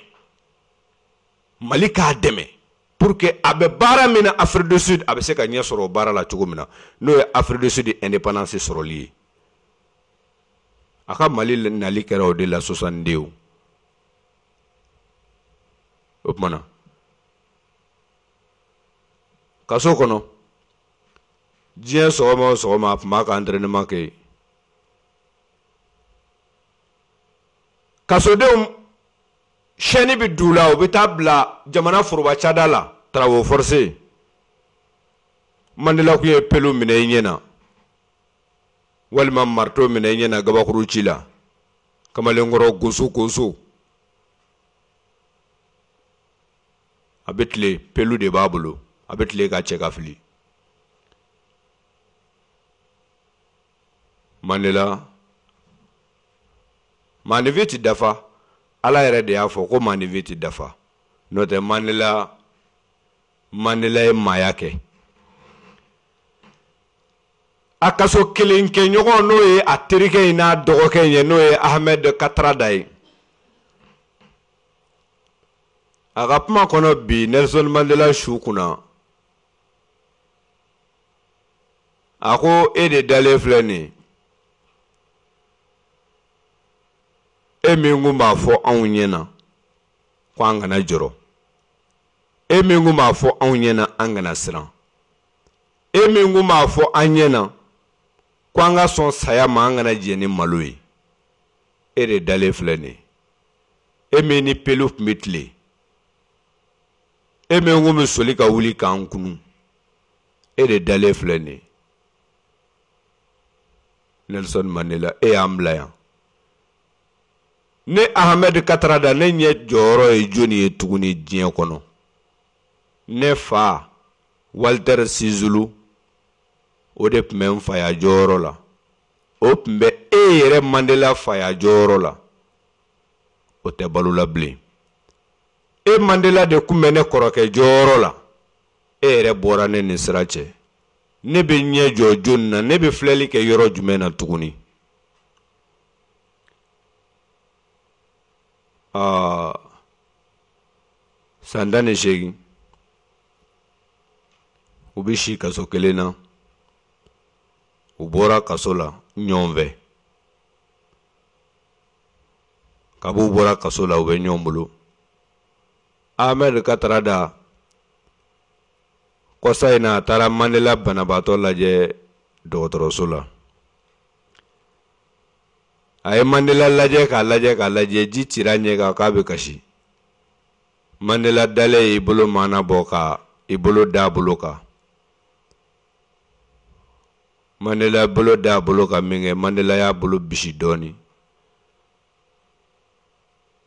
Mali k'a dɛmɛ, pour que a bɛ baara min na Afrique du Sud, a bɛ se ka ɲɛ sɔrɔ o baara la cogo min na, n'o ye Afrique du Sud indépendance sɔrɔli ye. A ka Mali nali kɛra o de la soixante-deux. O tuma na kaso kɔnɔ, diɲɛ sɔgɔma o sɔgɔma a tun b'a ka entraînement kɛ yen. Kasodenw chaîne bɛ d'u la, u bɛ taa bila jamana foroba cada la, travaux forcés. Mandela kun ye pelu minɛ i ɲɛ na, walima marteau minɛ i ɲɛ na gabakuru ci la, kamalenkɔrɔ goso goso. A bɛ tile, pelu de b'a bolo, a bɛ tile ka cɛ ka fili. Mandela, maanifin ti dafa. Ala yɛrɛ de y'a fɔ ko maanifin ti dafa. N'o tɛ Mandela, Mandela ye maaya kɛ. A kaso kelen kɛ ɲɔgɔn, n'o ye a terikɛ in n'a dɔgɔkɛ in ye, n'o ye Ahmed Katrada ye. A ka kuma kɔnɔ bi Nelson Mandela su kunna, a ko e de dalen filɛ nin ye, e min kun b'a fɔ anw ɲɛna ko an kana jɔrɔ, e min kun b'a fɔ anw ɲɛna an kana siran, e min kun b'a fɔ an ɲɛna ko an ka sɔn saya ma, an kana jɛn ni malo ye, e de dalen filɛ nin ye, e min ni pelu tun bɛ tile, e min kun bɛ soli ka wuli k'an kunu, e de dalen filɛ nin ye. Nelson Mandela, e y'an bila yan. Ne Ahmed Katrada, ne ɲɛ jɔyɔrɔ ye jɔnni ye tuguni diɲɛ kɔnɔ? Ne fa Walter Sisulu, o de tun bɛ n faya jɔyɔrɔ la, o tun bɛ e yɛrɛ Mandela faya jɔyɔrɔ la, o tɛ balo la bilen. E Mandela de tun bɛ ne kɔrɔkɛ jɔyɔrɔ la, e yɛrɛ bɔra ne ni sira cɛ. Ne bɛ ɲɛ jɔ jɔnni na? Ne bɛ filɛli kɛ yɔrɔ jumɛn na tuguni? Aa, San tan ni seegin u bɛ si kaso kelen na, u bɔra kaso la ɲɔgɔn fɛ. Kab'u bɔra kaso la u bɛ ɲɔgɔn bolo. Ahmed Kathrada kɔsa in na a taara Mandela banabaatɔ lajɛ dɔgɔtɔrɔso la. A ye Mandela lajɛ k'a lajɛ k'a lajɛ, ji cira ɲɛ kan k'a bɛ kasi. Mandela dalen y'i bolo maana bɔ ka i bolo da a bolo kan. Mandela bolo da a bolo kan min kɛ, Mandela y'a bolo bisi dɔɔnin.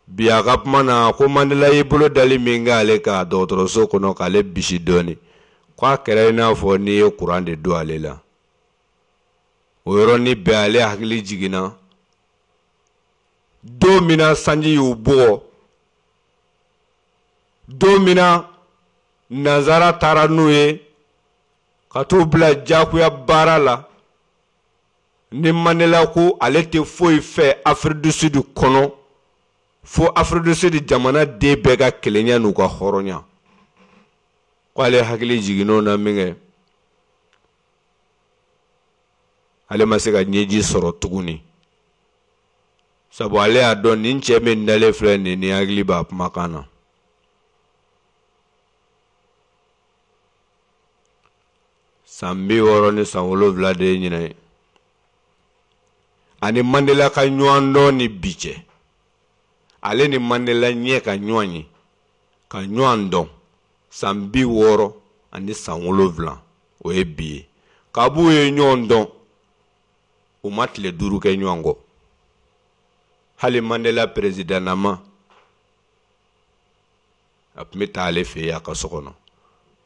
Bi a ka kuma na ko Mandela y'i bolo dali min kɛ ale kan dɔgɔtɔrɔso kɔnɔ k'ale bisi dɔɔnin, k'a kɛra i n'a fɔ n'i ye kuran de don ale la. O yɔrɔnin bɛɛ ale hakili jiginna don min na sanji y'u bugɔ, don min na nanzara taara n'u ye ka t'u bila diyagoya baara la, ni Mandela ko ale tɛ foyi fɛ Afrique du Sud kɔnɔ fo Afrique du Sud jamana den bɛɛ ka kelenya n'u ka hɔrɔnya. Ko ale hakili jiginn'o na min kɛ, ale ma se ka ɲɛji sɔrɔ tuguni, sabu ale y'a dɔn nin cɛ min dalen filɛ nin ni hakili b'a kumakan na. San bi wɔɔrɔ ni san wolonwula de ye ɲinɛ ye ani Mandela ka ɲɔgɔn dɔn ni bi cɛ. Ale ni Mandela ɲɛ ka ɲɔgɔn ye ka ɲɔgɔn dɔn san bi wɔɔrɔ ani san wolonwula, o ye bi ye. Kab'u ye ɲɔgɔn dɔn, u ma tile duuru kɛ ɲɔgɔn kɔ. Hali Mandela perezidanama a tun bɛ taa ale fɛ yen a ka so kɔnɔ,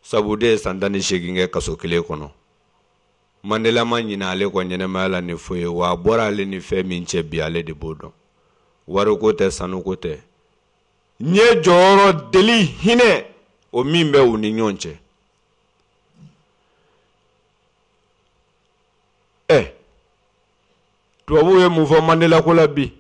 sabu de ye san tan ni seegin kɛ kaso kelen kɔnɔ. Mandela ma ɲinɛ ale kɔ ɲɛnɛmaya la ni foyi ye, wa a bɔra ale ni fɛn min cɛ bi ale de b'o dɔn. Wariko tɛ, sanuko tɛ, n ye jɔyɔrɔ deli hinɛ o min bɛ u ni ɲɔgɔn cɛ. Ɛ tubabuw ye mun fɔ Mandela ko la bi?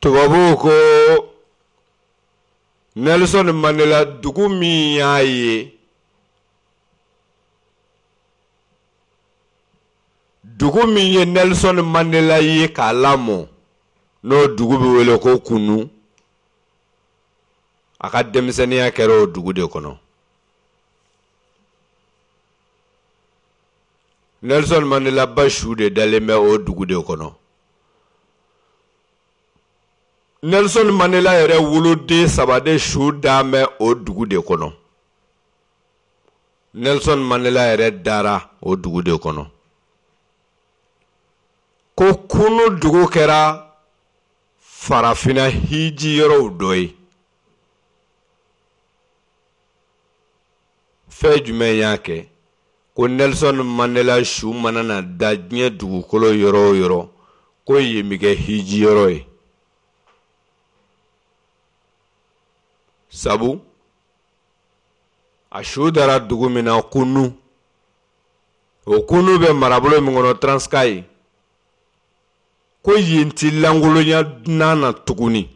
Tubabuw ko Nelson Mandela dugu min y'a ye, dugu min ye Nelson Mandela ye k'a lamɔ, n'o dugu bɛ wele ko Kunu, a ka denmisɛnninya kɛra o dugu de kɔnɔ. Nelson Mandela ba su de dalen bɛ o dugu de kɔnɔ. Nelson Mandela yɛrɛ woloden saba de su dan bɛ o dugu de kɔnɔ. Nelson Mandela yɛrɛ dara o dugu de kɔnɔ. Ko Kunu dugu kɛra farafinna hiji yɔrɔw dɔ ye. Fɛn jumɛn y'a kɛ ko Nelson Mandela su mana na da diɲɛ dugukolo yɔrɔ o yɔrɔ, ko yen bɛ kɛ hiji yɔrɔ ye? Sabu a su dara dugu min na Kunu, o Kunu bɛ marabolo min kɔnɔ Transkei, ko yen ti lankolonya dunan na tuguni.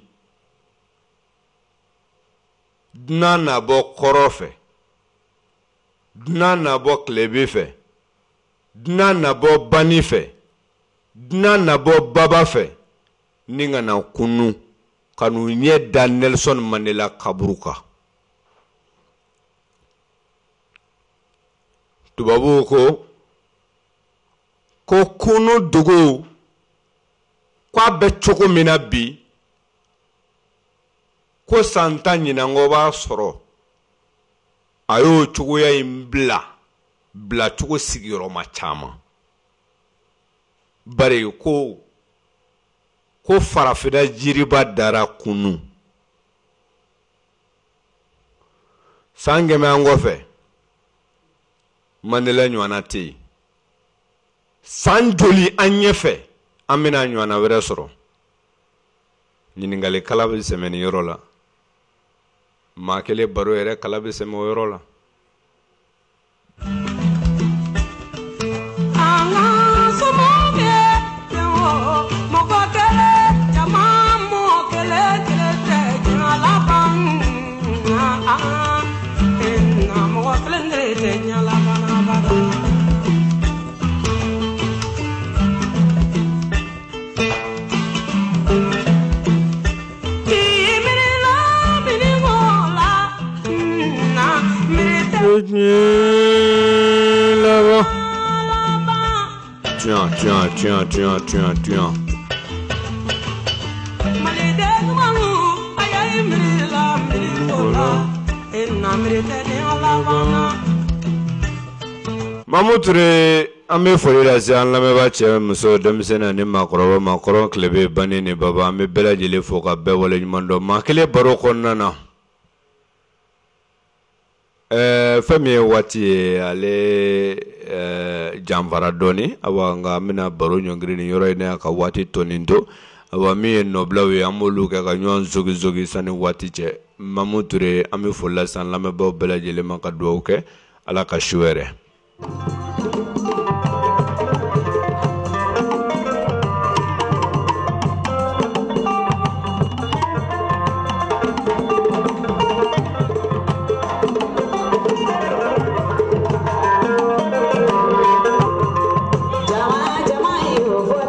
Dunan na bɔ kɔrɔ fɛ, dunan na bɔ tilebin fɛ, dunan na bɔ bani fɛ, dunan na bɔ baba fɛ, ni ka na Kunu ka n'u ɲɛ da Nelson Mandela kaburu kan. Tubabuw ko ko Kunu dugu k'a bɛ cogo min na bi, ko san tan ɲinanko b'a sɔrɔ a y'o cogoya in bila bilacogo sigiyɔrɔma caman. Bari ko ko farafinna jiriba dara Kunu. San kɛmɛ an kɔfɛ, Mandela ɲɔgɔnna tɛ yen. San joli an ɲɛfɛ, an bɛna ɲɔgɔnna wɛrɛ sɔrɔ? Ɲininkali kala bɛ sɛmɛ nin yɔrɔ la. Maa kelen baro yɛrɛ kala bɛ sɛmɛ o yɔrɔ la. Tiens, tiens, tiens, tiens, tiens, tiens. Mamu Ture, an bɛ foli lase an lamɛnbaa cɛ muso denmisɛnnin ani maakɔrɔba ma kɔrɔn tilebe banni ni baba an bɛ bɛɛ lajɛlen fo ka bɛɛ waleɲuman dɔn maa kelen baro kɔnɔna na. Ɛɛ fɛn min ye waati ye ale ɛɛ janfara dɔɔni awa nka an bɛna baro ɲɔngiri nin yɔrɔ in na ka waati tɔnin to awa min ye nɔbilaw ye an b'olu kɛ ka ɲɔgɔn zogizogi sanni waati cɛ. Mamu Ture an bɛ foli lase an lamɛnbaaw bɛɛ lajɛlen ma ka dugawu kɛ Ala ka su hɛrɛ. Jama jama yo fo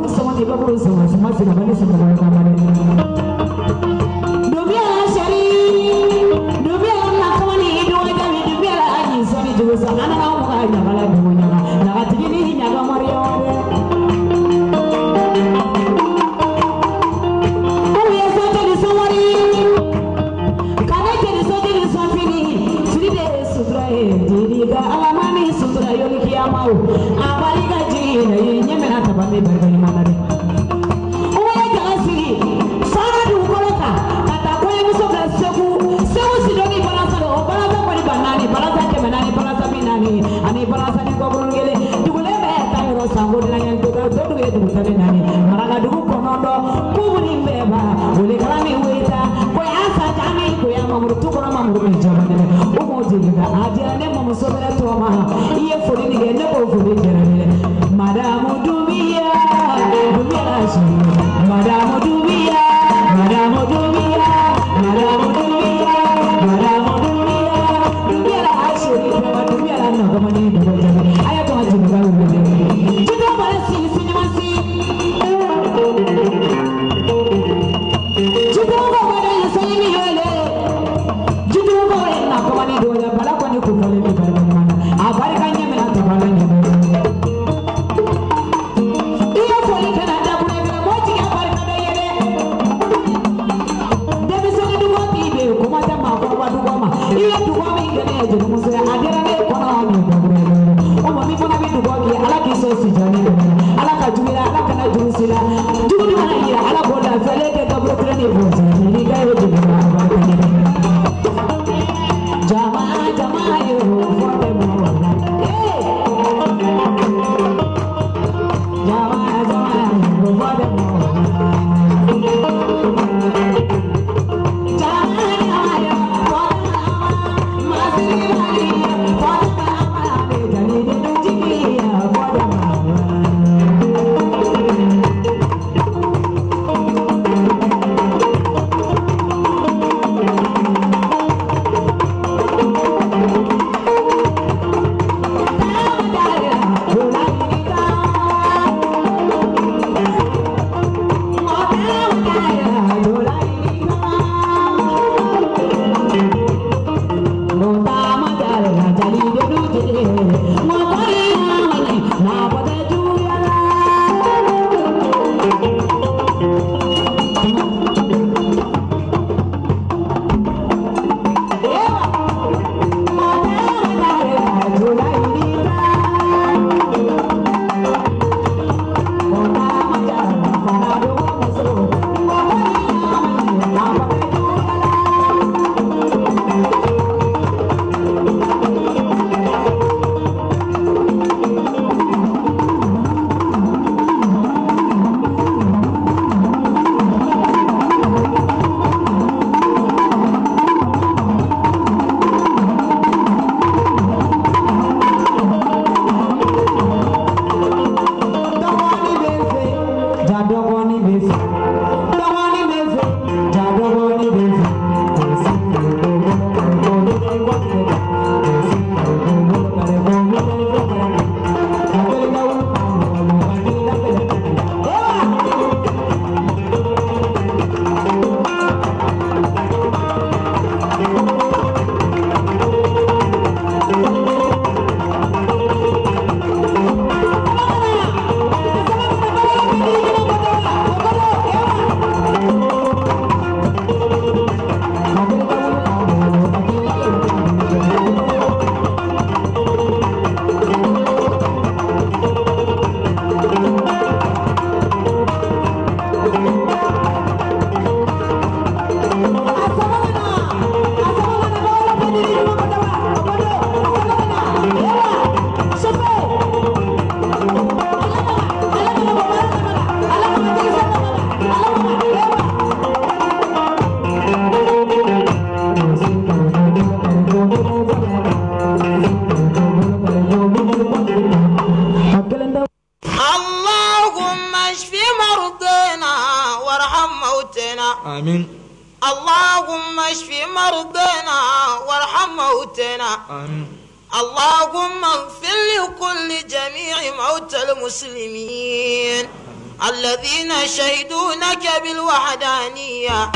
Bakuru sama ni bakuru sama sama sina bani sama bani sama Dubi ala shari Dubi ala nakamani duwa jami Dubi ala anyi soni jugusa Ana na umuka nyagala dugu nyaga Nyaga tigini nyaga mariyo Uye sote ni somori Kana jeri sote ni sofini Suri de sutura e Diriga alamani sutura yoli kiyamau Abariga jina yenyemena tabame barikani manade Uye jalasiri Sara dugukolo kan ka taa kɔɲɔmuso bila Segu Segu Sidoni balansa don o balansa kɔni ba naani balansa kɛmɛ naani balansa bi naani ani balansa ni kɔkurun kelen dugulen bɛɛ ta yɔrɔ sanko dilanɲɛ dɔ dugu ye dugu tan ni naani Marakadugu kɔnɔntɔn kubuni bɛɛ ba welekala ni weta koya sajami koya mamuru tu kɔnɔ mamuru min jaba nɛnɛ o m'o jeli ka a diyara ne mamuso bɛrɛ tɔ ma i ye foli nin kɛ ne k'o foli diyara ne dɛ Madamu Dumbuya Dumbuya la sini Madamu Dumbuya Madamu Dumbuya Madamu Dumbuya Madamu Dumbuya Dumbuya la sini Dumbuya la nɔgɔmani dogo jabi a y'a to a jeli ka wuli dɛ jito bala si si ɲuman si jito ko bada ye sanyi mi wele jito ko ye nɔgɔmani dogo jabi bala kɔni kun fɔlen bɛ barika ɲuman na a barika ɲɛ minɛ tabala ɲɛ i ye foli kɛ na dakuru kɛ mɔgɔ jigi a barika dɔ ye dɛ denmisɛnnin dugɔ b'i bɛ yen kuma tɛ maakɔrɔba dugɔ ma i ye dugɔ min kɛ ne ye jelimuso ye a diyara ne kɔnɔ min dakuru ye o ma min fana bɛ dugɔ k'i ye ala k'i sɔn sijani dɛmɛ la ala ka juguya ala kana jugu si la jugu dun mana yira ala k'o lafiyalen kɛ kaburu kelen ni bɔn n'i ka ye jeliba a barika ɲɛ jama jama ye o fɔ bɛ mɔgɔ la ee jama jama ye o fɔ bɛ mɔgɔ la jama jama ye fɔ bɛ masiri mali fɔ bɛ amala jali de jigi ya fɔ bɛ mɔgɔ la. اللهم اشف مرضانا وارحم موتنا آمين اللهم اشف مرضانا وارحم موتنا آمين اللهم اغفر لكل جميع موتى المسلمين. الذين شهدوا لك بالوحدانية.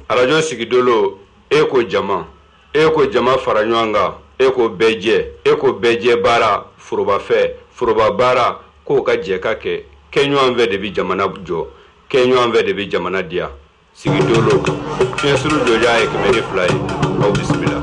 Arajo Sigidolo, e ko jama, e ko jama fara ɲɔgɔn kan, e ko bɛɛ jɛ, e ko bɛɛ jɛ baara, forobafɛ, foroba baara, k'o ka jɛ ka kɛ, kɛ ɲɔgɔn fɛ de bi jamana jɔ, kɛ ɲɔgɔn fɛ de bi jamana diya. Sigidolo, fiɲɛsuru jɔja ye kɛmɛ ni fila ye, aw bisimila.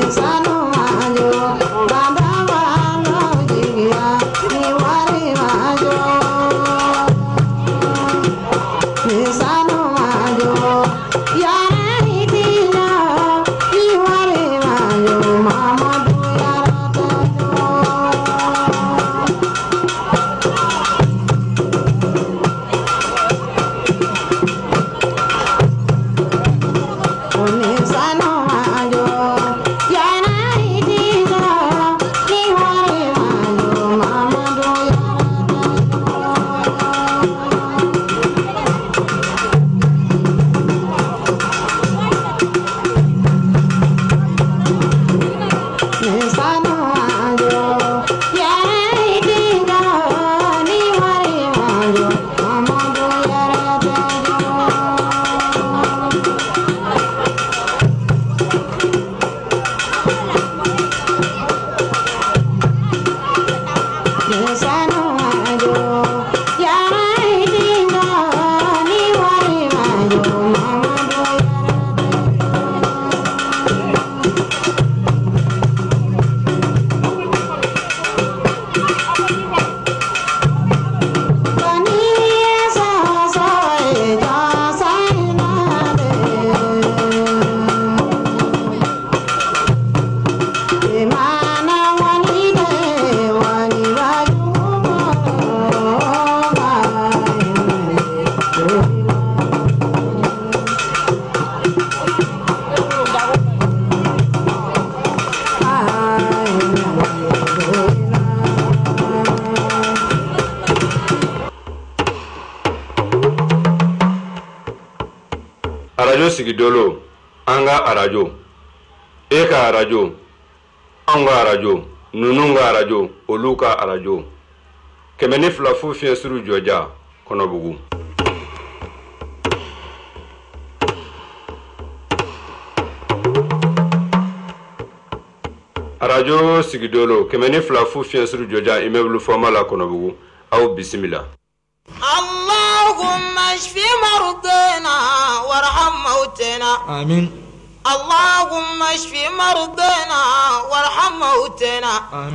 Sanu ajo, baba walo jigi. Arajo Sigidolo, an ka arajo, e ka arajo, anw ka arajo, ninnu ka arajo, olu ka arajo. Kɛmɛ ni fila fu fiɲɛ suru jɔja Kɔnɔbugu. Arajo Sigidolo, kɛmɛ ni fila fu fiɲɛ suru jɔja immeuble Fama la Kɔnɔbugu, aw bisimila. اللهم اشف مرضانا وارحم موتنا. آمين. اللهم اشف مرضانا وارحم موتنا. آمين.